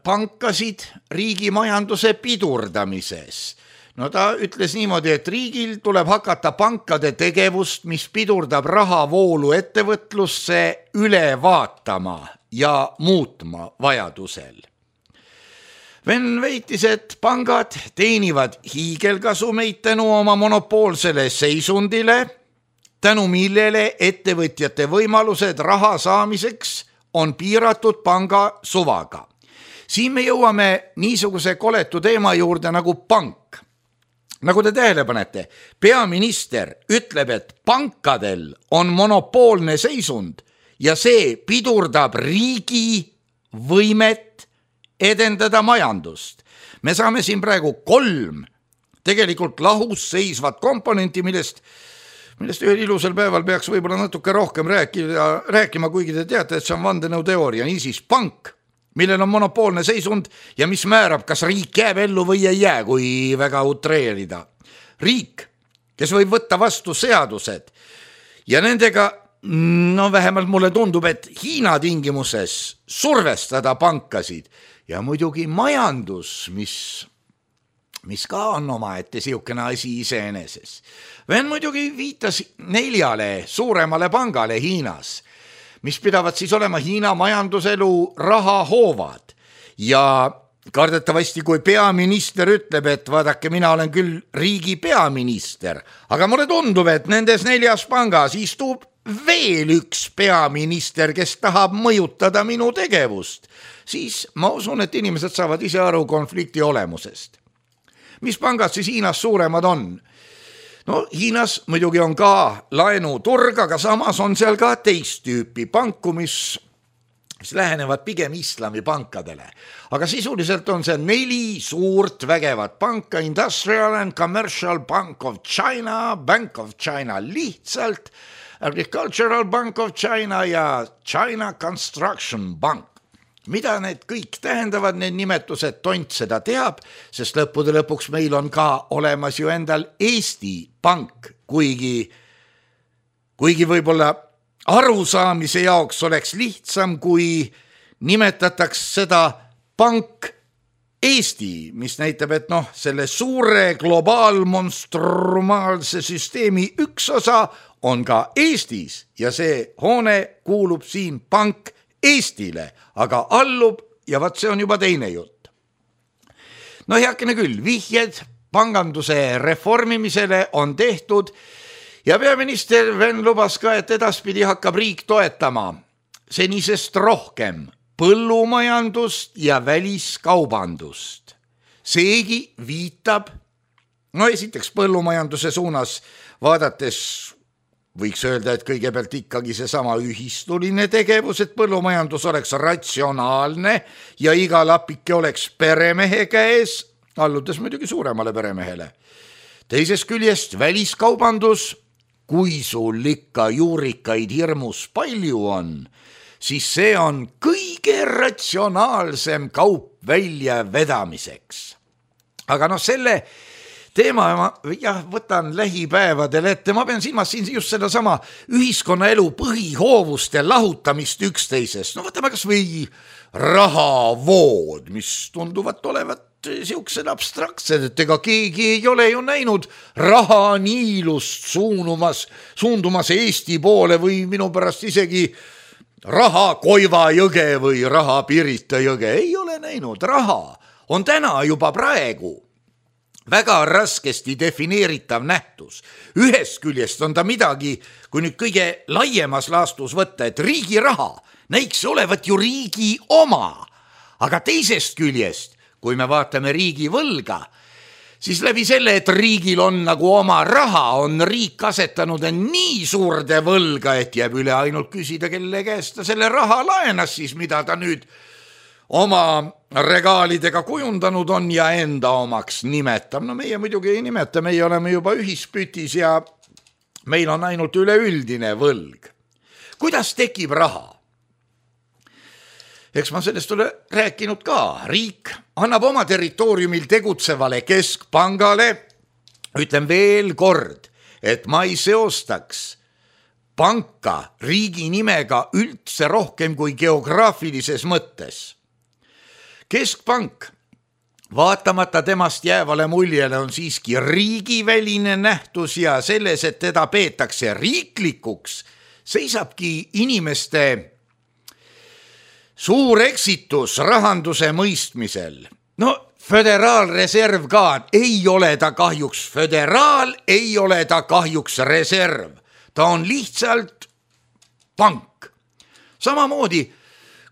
pankasid riigi majanduse pidurdamises. No ta ütles niimoodi, et riigil tuleb hakata pankade tegevust, mis pidurdab rahavoolu ettevõtlusse, üle vaatama ja muutma vajadusel. Ven väitis, et pangad teenivad hiigelkasumeid tänu oma monopoolsele seisundile, tänu millele ettevõtjate võimalused raha saamiseks on piiratud panga suvaga. Siin me jõuame niisuguse koletu teema juurde nagu pank. Nagu te tähele panete, peaminister ütleb, et pankadel on monopoolne seisund ja see pidurdab riigi võimet edendada majandust. Me saame siin praegu kolm tegelikult lahus seisvat komponenti, millest, millest ühel ilusal päeval peaks võib-olla natuke rohkem rääkida, rääkima, kuigi te teate, et see on vandenõuteooria. Niisiis pank, millel on monopoolne seisund ja mis määrab, kas riik jääb ellu või ei jää, kui väga utreerida. Riik, kes võib võtta vastu seadused ja nendega, no vähemalt mulle tundub, et Hiina tingimuses survestada pankasid ja muidugi majandus, mis, mis ka on omaette siukene asi iseeneses. Ven muidugi viitas neljale suuremale pangale Hiinas, mis pidavad siis olema Hiina majanduselu rahahoovad ja kardetavasti, kui peaminister ütleb, et vaadake, mina olen küll riigi peaminister, aga mulle tundub, et nendes neljas pangas istub veel üks peaminister, kes tahab mõjutada minu tegevust, siis ma usun, et inimesed saavad ise aru konflikti olemusest. Mis pangad siis Hiinas suuremad on? No Hiinas muidugi on ka laenuturg, aga samas on seal ka teist tüüpi panku, mis, mis lähenevad pigem islami pankadele. Aga sisuliselt on see neli suurt vägevat panka: Industrial and Commercial Bank of China, Bank of China lihtsalt, Agricultural Bank of China ja China Construction Bank. Mida need kõik tähendavad, need nimetused, tont seda teab, sest lõppude lõpuks meil on ka olemas ju endal Eesti pank, kuigi, kuigi võib-olla arusaamise jaoks oleks lihtsam, kui nimetataks seda pank Eesti, mis näitab, et noh, selle suure globaalmonstrumaalse süsteemi üks osa on ka Eestis ja see hoone kuulub siin pank Eestile, aga allub ja vaat see on juba teine jutt. No heakene küll, vihjed panganduse reformimisele on tehtud ja peaminister Ven lubas ka, et edaspidi hakkab riik toetama senisest rohkem põllumajandust ja väliskaubandust. Seegi viitab, no esiteks põllumajanduse suunas vaadates võiks öelda, et kõigepealt ikkagi see sama ühistuline tegevus, et põllumajandus oleks ratsionaalne ja iga lapike oleks peremehe käes, alludes muidugi suuremale peremehele. Teisest küljest väliskaubandus, kui sul ikka juurikaid hirmus palju on, siis see on kõige ratsionaalsem kaup välja vedamiseks. Aga noh, selle teema ma jah, võtan lähipäevadel ette, ma pean silmas siin just seda sama ühiskonnaelu põhihoovuste lahutamist üksteisest. No võtame kas või rahavood, mis tunduvad olevat siuksed abstraktsed, et ega keegi ei ole ju näinud raha niilust suunumas, suundumas Eesti poole või minu pärast isegi raha Koiva jõge või raha Pirita jõge. Ei ole näinud, raha on täna juba praegu väga raskesti defineeritav nähtus. Ühest küljest on ta midagi, kui nüüd kõige laiemas laastus võtta, et riigi raha näiks olevat ju riigi oma, aga teisest küljest, kui me vaatame riigi võlga, siis läbi selle, et riigil on nagu oma raha, on riik asetanud nii suurde võlga, et jääb üle ainult küsida, kelle käest ta selle raha laenas siis, mida ta nüüd oma regaalidega kujundanud on ja enda omaks nimetab. No meie muidugi ei nimeta, meie oleme juba ühispütis ja meil on ainult üleüldine võlg. Kuidas tekib raha? Eks ma sellest ole rääkinud ka. Riik annab oma territooriumil tegutsevale keskpangale, ütlen veel kord, et ma ei seostaks panka riigi nimega üldse rohkem kui geograafilises mõttes. Keskpank, vaatamata temast jäävale muljele, on siiski riigiväline nähtus ja selles, et teda peetakse riiklikuks, seisabki inimeste suur eksitus rahanduse mõistmisel. No föderaalreserv ka, ei ole ta kahjuks föderaal, ei ole ta kahjuks reserv. Ta on lihtsalt pank. Samamoodi,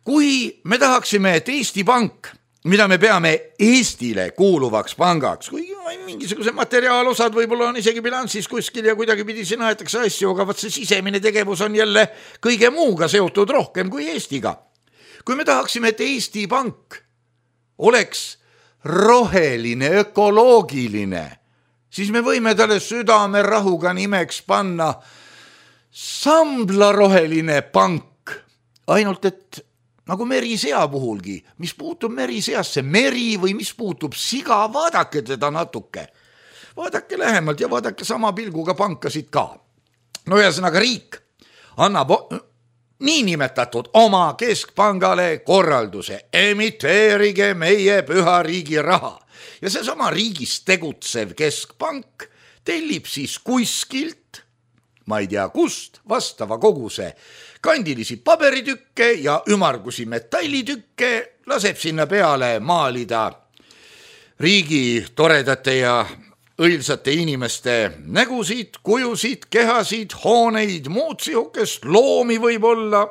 kui me tahaksime, et Eesti Pank, mida me peame Eestile kuuluvaks pangaks, kui mingisuguse materiaalosad võib-olla on isegi bilanssis kuskil ja kuidagi pidi siin aetakse asju, aga vaat see sisemine tegevus on jälle kõige muuga seotud rohkem kui Eestiga. Kui me tahaksime, et Eesti Pank oleks roheline, ökoloogiline, siis me võime talle südame rahuga nimeks panna Sambla roheline pank, ainult et nagu merisea puhulgi, mis puutub meriseasse, meri või mis puutub siga, vaadake teda natuke. Vaadake lähemalt ja vaadake sama pilguga pankasid ka. No ühesõnaga riik annab niinimetatud oma keskpangale korralduse, emiteerige meie püha riigi raha. Ja see sama riigis tegutsev keskpank tellib siis kuskilt, ma ei tea kust, vastava koguse kandilisi paberitükke ja ümargusi metallitükke, laseb sinna peale maalida riigi toredate ja õilsate inimeste nägusid, kujusid, kehasid, hooneid, muud sihukest, loomi võib-olla.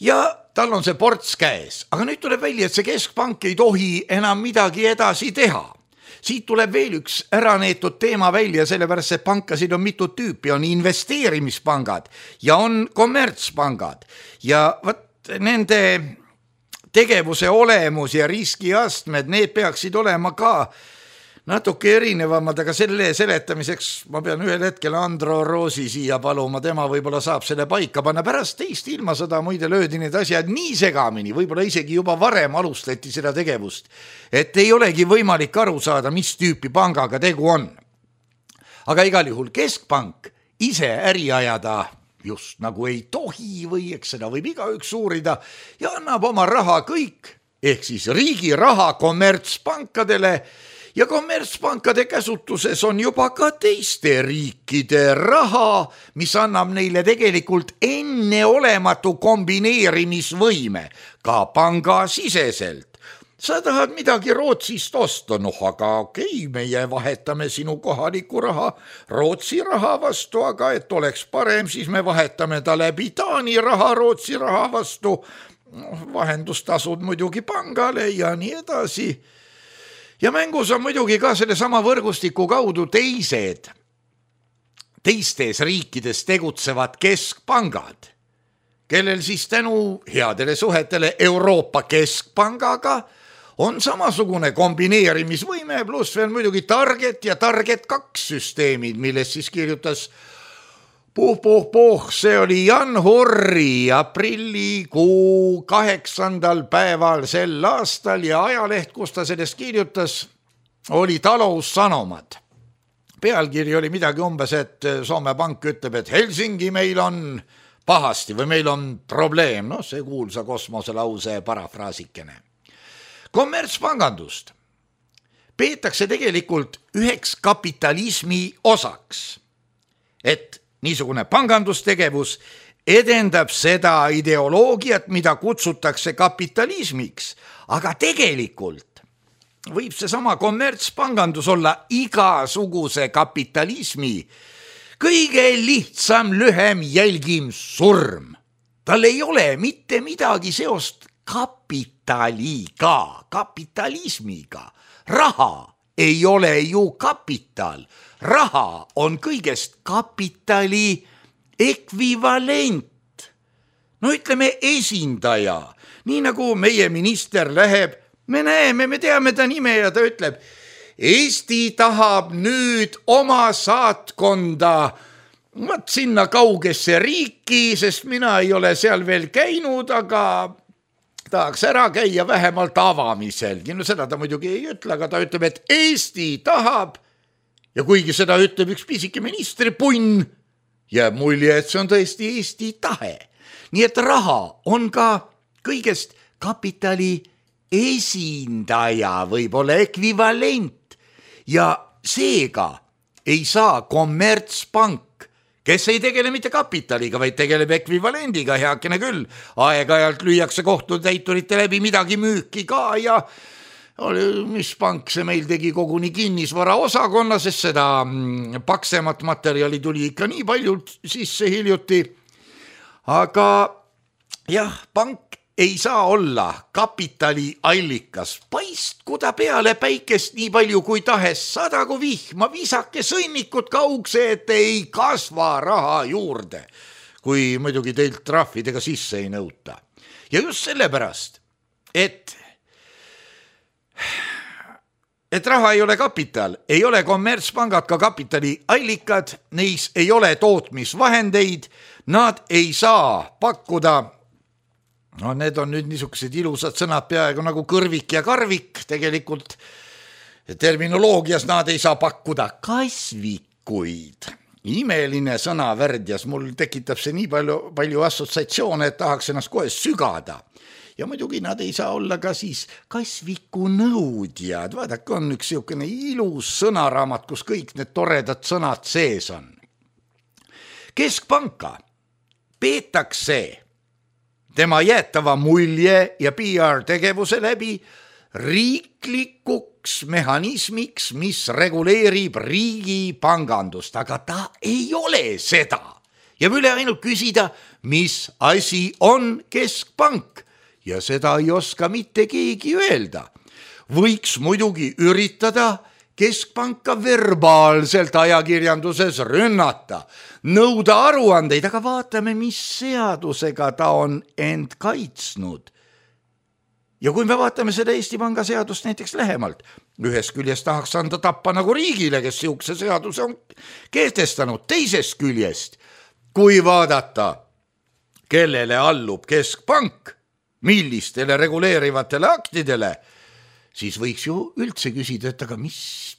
Ja tal on see ports käes, aga nüüd tuleb välja, et see keskpank ei tohi enam midagi edasi teha. Siit tuleb veel üks äraneetud teema välja, sellepärast et pankasid on mitu tüüpi, on investeerimispangad ja on kommertspangad ja võt, nende tegevuse olemus ja riskiastmed, need peaksid olema ka natuke erinevamad, aga selle seletamiseks ma pean ühel hetkel Andro Roosi siia paluma, tema võib-olla saab selle paika panna. Pärast teist ilmasõda muide löödi need asjad nii segamini, võib-olla isegi juba varem alustati seda tegevust, et ei olegi võimalik aru saada, mis tüüpi pangaga tegu on. Aga igal juhul keskpank ise äri ajada just nagu ei tohi või eks seda võib igaüks uurida ja annab oma raha kõik, ehk siis riigi raha kommertspankadele. Ja kommertspankade käsutuses on juba ka teiste riikide raha, mis annab neile tegelikult enneolematu kombineerimisvõime, ka pangasiseselt. Sa tahad midagi Rootsist osta, noh aga okei, meie vahetame sinu kohaliku raha Rootsi raha vastu, aga et oleks parem, siis me vahetame ta läbi Taani raha Rootsi raha vastu, vahendustasud muidugi pangale ja nii edasi. Ja mängus on muidugi ka selle sama võrgustiku kaudu teised, teistes riikides tegutsevad keskpangad, kellel siis tänu headele suhetele Euroopa keskpangaga on samasugune kombineerimisvõime, pluss veel muidugi Target ja Target kaks süsteemid, milles siis kirjutas Puh, puh, puh, see oli Jan Hurri aprillikuu kaheksandal päeval sel aastal ja ajaleht, kus ta sellest kirjutas, oli Taloussanomat. Pealkiri oli midagi umbes, et Soome Pank ütleb, et Helsingi meil on pahasti või meil on probleem, noh see kuulsa kosmoselause parafraasikene. Kommertspangandust peetakse tegelikult üheks kapitalismi osaks, et niisugune pangandustegevus edendab seda ideoloogiat, mida kutsutakse kapitalismiks, aga tegelikult võib seesama kommertspangandus olla igasuguse kapitalismi kõige lihtsam, lühem, jälgim surm. Tal ei ole mitte midagi seost kapitaliga, kapitalismiga. Raha ei ole ju kapital. Raha on kõigest kapitali ekvivalent. No ütleme esindaja. Nii nagu meie minister läheb, me näeme, me teame ta nime ja ta ütleb, Eesti tahab nüüd oma saatkonda võt sinna kaugesse riiki, sest mina ei ole seal veel käinud, aga tahaks ära käia vähemalt avamiselgi. No seda ta muidugi ei ütle, aga ta ütleb, et Eesti tahab ja kuigi seda ütleb üks pisike ministripunn, jääb mulje, et see on tõesti Eesti tahe. Nii et raha on ka kõigest kapitali esindaja, võib-olla ekvivalent. Ja seega ei saa kommertspank, kes ei tegele mitte kapitaliga, vaid tegeleb ekvivalendiga, heakene küll. Aeg-ajalt lüüakse kohtutäiturite läbi midagi müüki ka ja mis pank see meil tegi koguni kinnisvara osakonna, sest seda paksemat materjali tuli ikka nii palju sisse hiljuti. Aga jah, pank ei saa olla kapitali allikas. Paistku ta peale päikest nii palju kui tahes, sadagu vihma, visake sõnnikut kaugse, et ei kasva raha juurde, kui muidugi teilt trahvidega sisse ei nõuta. Ja just sellepärast, et et raha ei ole kapital, ei ole kommertspangad ka kapitali allikad, neis ei ole tootmisvahendeid, nad ei saa pakkuda. No need on nüüd niisugused ilusad sõnad peaaegu nagu kõrvik ja karvik, tegelikult terminoloogias nad ei saa pakkuda kasvikuid. Imeline sõna värdjas, mul tekitab see nii palju, palju assotsiatsioone, et tahaks ennast kohe sügada. Ja muidugi nad ei saa olla ka siis kasviku nõudjad. Vaadake, on üks siukene ilus sõnaraamat, kus kõik need toredad sõnad sees on. Keskpanka peetakse tema jäetava mulje ja P R tegevuse läbi riiklikuks mehhanismiks, mis reguleerib riigi pangandust, aga ta ei ole seda. Ja üle ainult küsida, mis asi on keskpank ja seda ei oska mitte keegi öelda. Võiks muidugi üritada keskpanka verbaalselt ajakirjanduses rünnata, nõuda aruandeid, aga vaatame, mis seadusega ta on end kaitsnud. Ja kui me vaatame seda Eesti Panga seadust näiteks lähemalt, ühest küljest tahaks anda tappa nagu riigile, kes siukse seaduse on kehtestanud, teisest küljest, kui vaadata, kellele allub keskpank, millistele reguleerivatele aktidele, siis võiks ju üldse küsida, et aga mis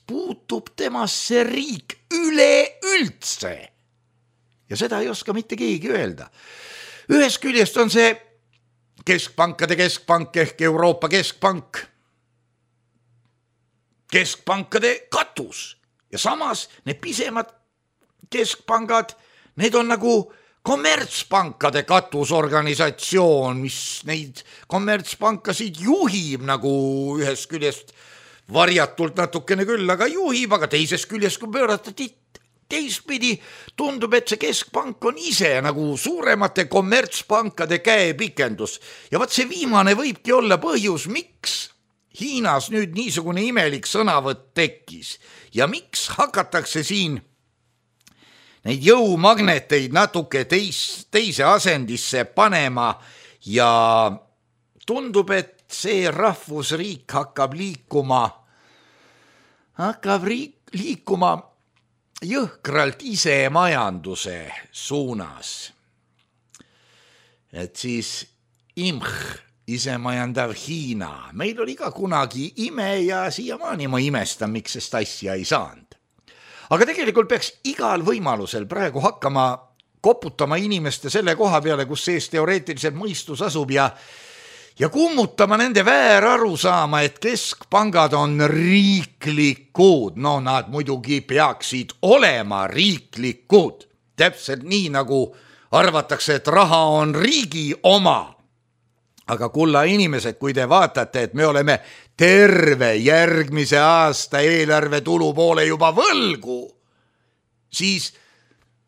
puutub temasse riik üleüldse? Ja seda ei oska mitte keegi öelda. Ühest küljest on see keskpankade keskpank ehk Euroopa keskpank, keskpankade katus. Ja samas need pisemad keskpangad, need on nagu kommertspankade katusorganisatsioon, mis neid kommertspankasid juhib nagu ühest küljest varjatult natukene küll, aga juhib, aga teisest küljest, kui pöörata teistpidi, tundub, et see keskpank on ise nagu suuremate kommertspankade käepikendus. Ja vaat see viimane võibki olla põhjus, miks Hiinas nüüd niisugune imelik sõnavõtt tekkis ja miks hakatakse siin neid jõumagneteid natuke teis, teise asendisse panema ja tundub, et see rahvusriik hakkab liikuma, hakkab riik, liikuma jõhkralt ise majanduse suunas. Et siis imh, isemajandav Hiina. Meil oli ka kunagi ime ja siiamaani ma imestan, miks sest asja ei saanud. Aga tegelikult peaks igal võimalusel praegu hakkama koputama inimeste selle koha peale, kus sees teoreetiliselt mõistus asub ja, ja kummutama nende vääraru saama, et keskpangad on riiklikud. No nad muidugi peaksid olema riiklikud. Täpselt nii, nagu arvatakse, et raha on riigi oma. aga kulla inimesed, kui te vaatate, et me oleme terve järgmise aasta eelarve tulu poole juba võlgu, siis,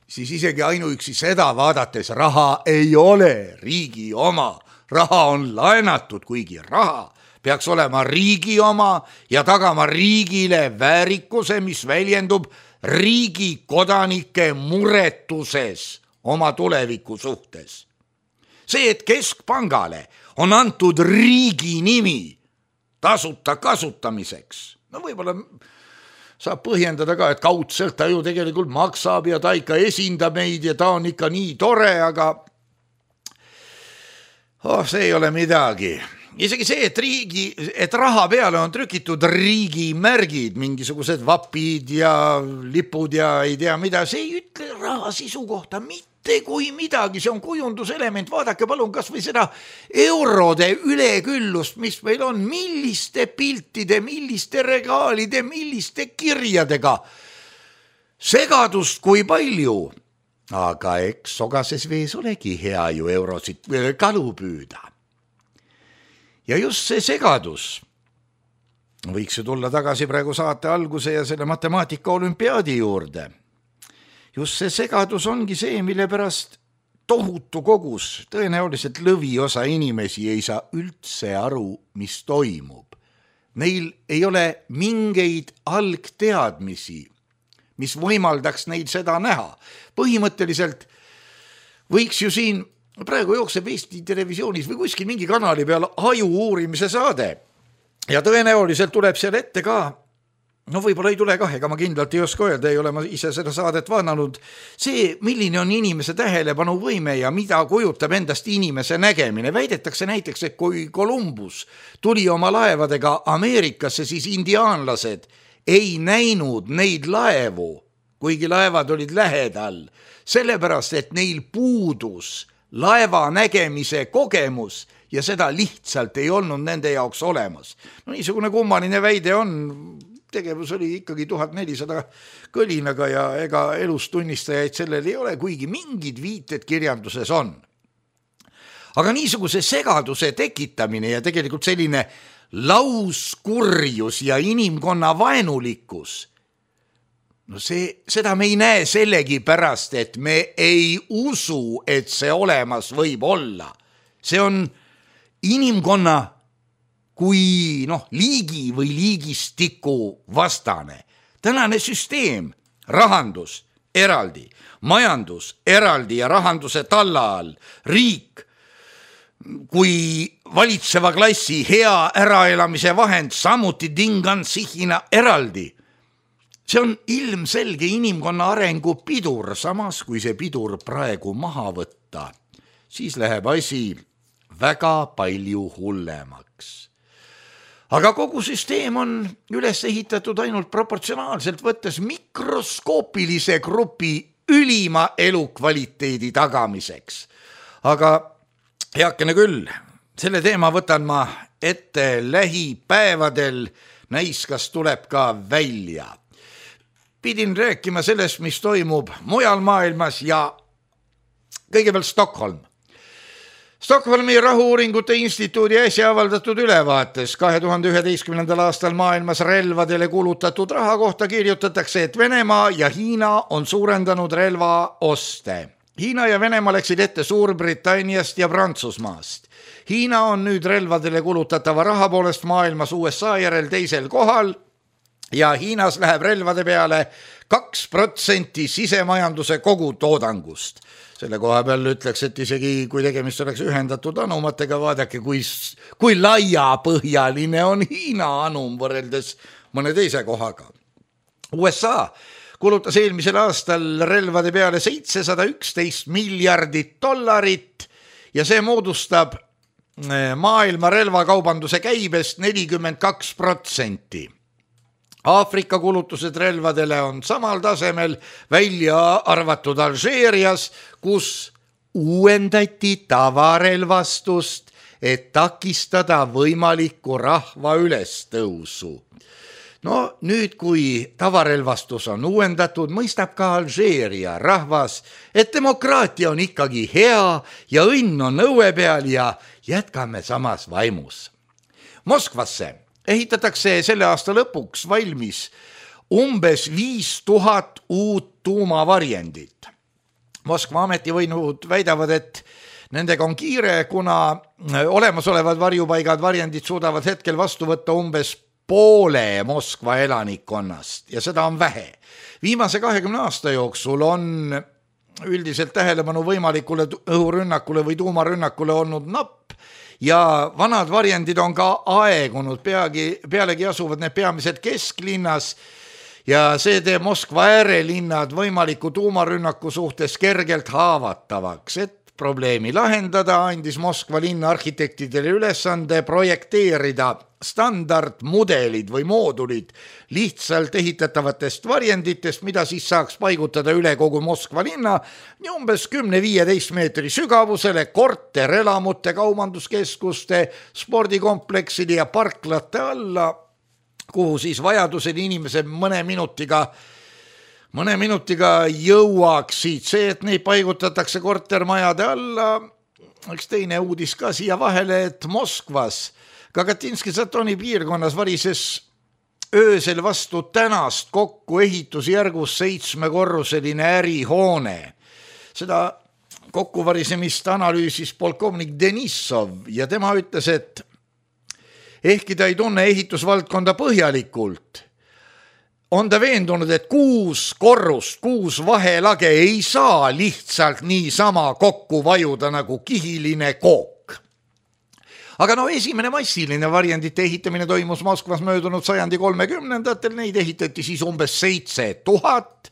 siis isegi ainuüksi seda vaadates raha ei ole riigi oma. Raha on laenatud, kuigi raha peaks olema riigi oma ja tagama riigile väärikuse, mis väljendub riigi kodanike muretuses oma tuleviku suhtes. See, et keskpangale on antud riigi nimi tasuta kasutamiseks, no võib-olla saab põhjendada ka, et kaudselt ta ju tegelikult maksab ja ta ikka esindab meid ja ta on ikka nii tore, aga oh, see ei ole midagi. Isegi see, et riigi, et raha peale on trükitud riigi märgid, mingisugused vapid ja lipud ja ei tea mida, see ei ütle raha sisu kohta mitte kui midagi, see on kujunduselement. Vaadake palun kas või seda eurode üleküllust, mis meil on, milliste piltide, milliste regaalide, milliste kirjadega. Segadust kui palju, aga eks sogases vees olegi hea ju eurosid kalu püüda. Ja just see segadus võiks ju tulla tagasi praegu saate alguse ja selle matemaatika olümpiaadi juurde. Just see segadus ongi see, mille pärast tohutu kogus, tõenäoliselt lõviosa inimesi ei saa üldse aru, mis toimub. Neil ei ole mingeid algteadmisi, mis võimaldaks neid seda näha. Põhimõtteliselt võiks ju siin praegu jookseb Eesti Televisioonis või kuskil mingi kanali peal aju uurimise saade ja tõenäoliselt tuleb seal ette ka, no võib-olla ei tule kah, ega ma kindlalt ei oska öelda, ei ole ma ise seda saadet vaadanud, see, milline on inimese tähelepanu võime ja mida kujutab endast inimese nägemine. Väidetakse näiteks, et kui Columbus tuli oma laevadega Ameerikasse, siis indiaanlased ei näinud neid laevu, kuigi laevad olid lähedal, sellepärast, et neil puudus laeva nägemise kogemus ja seda lihtsalt ei olnud nende jaoks olemas. No niisugune kummaline väide on, tegevus oli ikkagi tuhat nelisada kõlinaga ja ega elustunnistajaid sellel ei ole, kuigi mingid viited kirjanduses on. Aga niisuguse segaduse tekitamine ja tegelikult selline lauskurjus ja inimkonna vaenulikkus, no see, seda me ei näe sellegi pärast, et me ei usu, et see olemas võib olla. See on inimkonna kui noh, liigi või liigistiku vastane. Tänane süsteem, rahandus eraldi, majandus eraldi ja rahanduse talla all, riik kui valitseva klassi hea äraelamise vahend, samuti tingansihina eraldi. See on ilmselge inimkonna arengu pidur, samas kui see pidur praegu maha võtta, siis läheb asi väga palju hullemaks. Aga kogu süsteem on üles ehitatud ainult proportsionaalselt võttes mikroskoopilise grupi ülima elukvaliteedi tagamiseks. Aga heakene küll, selle teema võtan ma ette lähipäevadel, näis kas tuleb ka välja. Pidin rääkima sellest, mis toimub mujal maailmas ja kõigepealt Stockholm. Stockholmi rahu-uuringute instituudi äsja avaldatud ülevaates kahe tuhande üheteistkümnendal aastal maailmas relvadele kulutatud raha kohta kirjutatakse, et Venemaa ja Hiina on suurendanud relvaoste. Hiina ja Venemaa läksid ette Suurbritanniast ja Prantsusmaast. Hiina on nüüd relvadele kulutatava raha poolest maailmas U S A järel teisel kohal ja Hiinas läheb relvade peale kaks protsenti sisemajanduse kogutoodangust. Selle koha peal ütleks, et isegi kui tegemist oleks ühendatud anumatega, vaadake, kui, kui laiapõhjaline on Hiina anum võrreldes mõne teise kohaga. U S A kulutas eelmisel aastal relvade peale seitsesada üksteist miljardit dollarit ja see moodustab maailma relvakaubanduse käibest nelikümmend kaks protsenti. Aafrika kulutused relvadele on samal tasemel, välja arvatud Alžeerias, kus uuendati tavarelvastust, et takistada võimalikku rahva ülestõusu. no nüüd, kui tavarelvastus on uuendatud, mõistab ka Alžeeria rahvas, et demokraatia on ikkagi hea ja õnn on õue peal ja jätkame samas vaimus. Moskvasse ehitatakse selle aasta lõpuks valmis umbes viis tuhat uut tuumavarjendit. Moskva ametivõimud väidavad, et nendega on kiire, kuna olemasolevad varjupaigad varjendid suudavad hetkel vastu võtta umbes poole Moskva elanikkonnast ja seda on vähe. Viimase kahekümne aasta jooksul on üldiselt tähelepanu võimalikule õhurünnakule või tuumarünnakule olnud napp ja vanad varjendid on ka aegunud, peagi, pealegi asuvad need peamiselt kesklinnas ja see teeb Moskva äärelinnad võimaliku tuumarünnaku suhtes kergelt haavatavaks, et probleemi lahendada andis Moskva linna arhitektidele ülesande projekteerida standardmudelid või moodulid lihtsalt ehitatavatest varjenditest, mida siis saaks paigutada üle kogu Moskva linna ja umbes kümne viieteist meetri sügavusele korterelamute, kaubanduskeskuste, spordikomplekside ja parklate alla, kuhu siis vajadusel inimesed mõne minutiga mõne minutiga jõuaksid. See, et neid paigutatakse kortermajade alla, üks teine uudis ka siia vahele, et Moskvas Kagatinski-Zatoni piirkonnas varises öösel vastu tänast kokku ehitusjärgus seitsmekorruseline ärihoone. Seda kokkuvarisemist analüüsis polkovnik Denissov ja tema ütles, et ehkki ta ei tunne ehitusvaldkonda põhjalikult, on ta veendunud, et kuus korrust, kuus vahelage ei saa lihtsalt niisama kokku vajuda nagu kihiline kook. Aga no esimene massiline varjendite ehitamine toimus Moskvas möödunud sajandi kolmekümnendatel, neid ehitati siis umbes seitse tuhat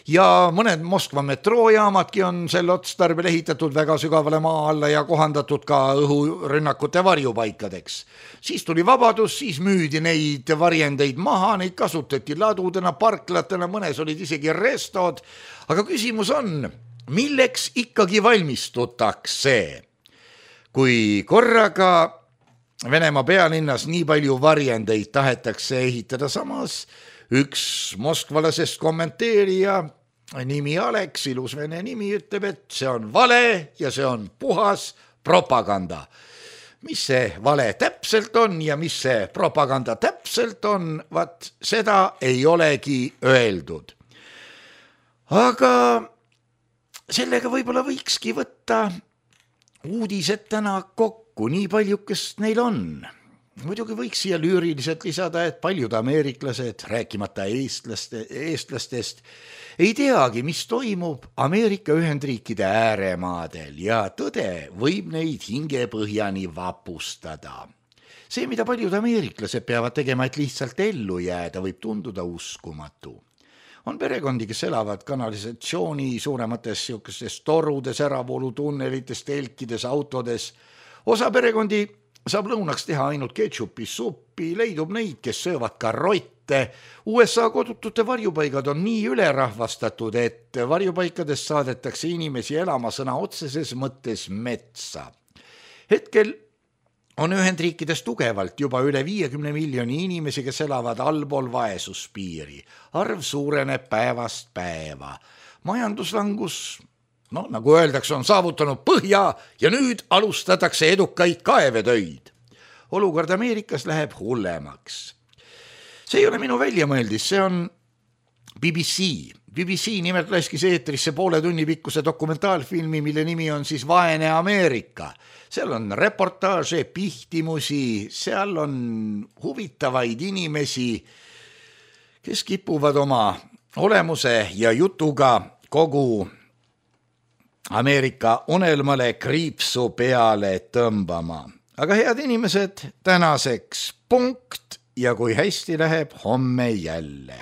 ja mõned Moskva metroojaamadki on sel otstarbel ehitatud väga sügavale maa alla ja kohandatud ka õhurünnakute varjupaikadeks. Siis tuli vabadus, siis müüdi neid varjendeid maha, neid kasutati ladudena, parklatena, mõnes olid isegi restod, aga küsimus on, milleks ikkagi valmistutakse? Kui korraga Venemaa pealinnas nii palju varjendeid tahetakse ehitada, samas üks moskvalasest kommenteerija, nimi Aleks, ilus vene nimi, ütleb, et see on vale ja see on puhas propaganda. Mis see vale täpselt on ja mis see propaganda täpselt on, vaat seda ei olegi öeldud. Aga sellega võib-olla võikski võtta uudised täna kokku, nii paljukest neil on. Muidugi võiks siia lüüriliselt lisada, et paljud ameeriklased, rääkimata eestlaste, eestlastest, ei teagi, mis toimub Ameerika Ühendriikide ääremaadel ja tõde võib neid hingepõhjani vapustada. See, mida paljud ameeriklased peavad tegema, et lihtsalt ellu jääda, võib tunduda uskumatu. On perekondi, kes elavad kanalisatsiooni suuremates siukestes torudes, äravoolutunnelites, telkides, autodes. Osa perekondi saab lõunaks teha ainult ketšupi suppi, leidub neid, kes söövad ka rotte. U S A kodutute varjupaigad on nii ülerahvastatud, et varjupaikadest saadetakse inimesi elama sõna otseses mõttes metsa. Hetkel on Ühendriikides tugevalt juba üle viiekümne miljoni inimesi, kes elavad allpool vaesuspiiri. Arv suureneb päevast päeva. Majanduslangus, no nagu öeldakse, on saavutanud põhja ja nüüd alustatakse edukaid kaevetöid. Olukord Ameerikas läheb hullemaks. See ei ole minu väljamõeldis, see on B B C. B B C nimelt laskis eetrisse poole tunni pikkuse dokumentaalfilmi, mille nimi on siis Vaene Ameerika. Seal on reportaaže, pihtimusi, seal on huvitavaid inimesi, kes kipuvad oma olemuse ja jutuga kogu Ameerika unelmale kriipsu peale tõmbama. Aga head inimesed, tänaseks punkt ja kui hästi läheb, homme jälle.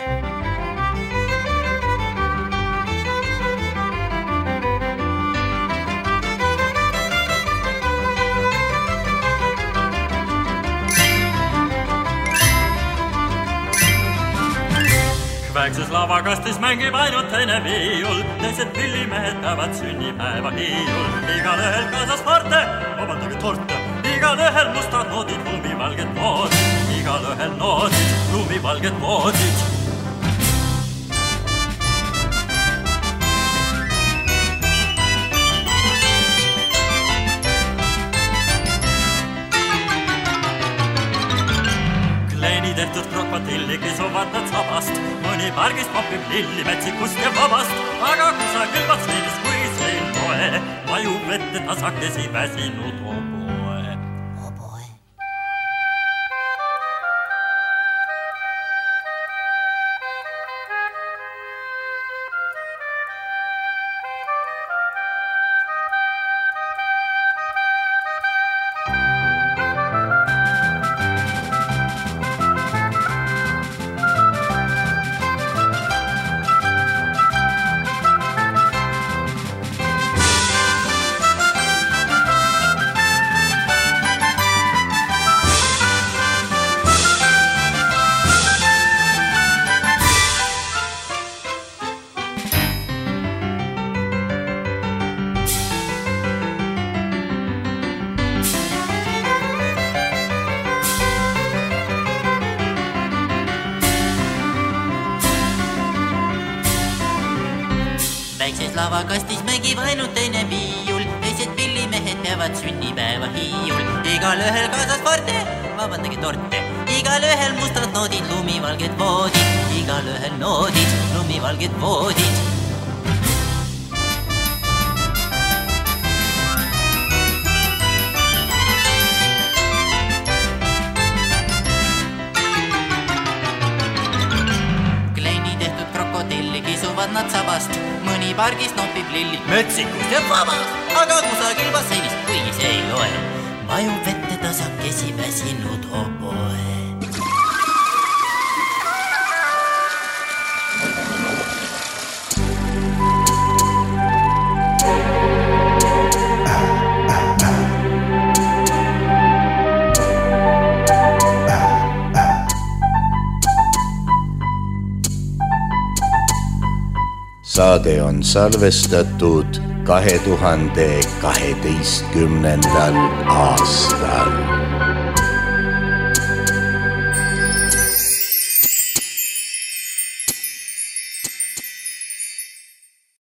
Väikses lavakastis mängib ainult teine viiul, teised pillimehed päevad sünnipäeva hiiul. Igal ühel kaasas parte, vabandage torte, igal ühel mustad noodid, lumivalged noodid, igal ühel noodid, lumivalged lumivalged voodid. Tehtud krokodilli kisuvad nad sabast, mõni pargist popib lilli metsikust ja vabast, aga kusagil vatsliivis kui sein poe, vajub vette tasakesi väsinud oboe. Oboe. Väikses lavakastis mängib ainult teine viiul, teised pillimehed peavad sünnipäeva hiiul. Igal ühel kaasas parte, vabandage torte, igal ühel mustad noodid, lumivalged voodid, igal ühel noodid, lumivalged voodid. Nad sabast, mõni pargis nopib lilli metsikust ja vabast, aga kusagil basseinist, kuigi see ei loe, vajub vette tasakesi väsinud oboe. Saade on salvestatud kahe tuhande kaheteistkümnendal aastal.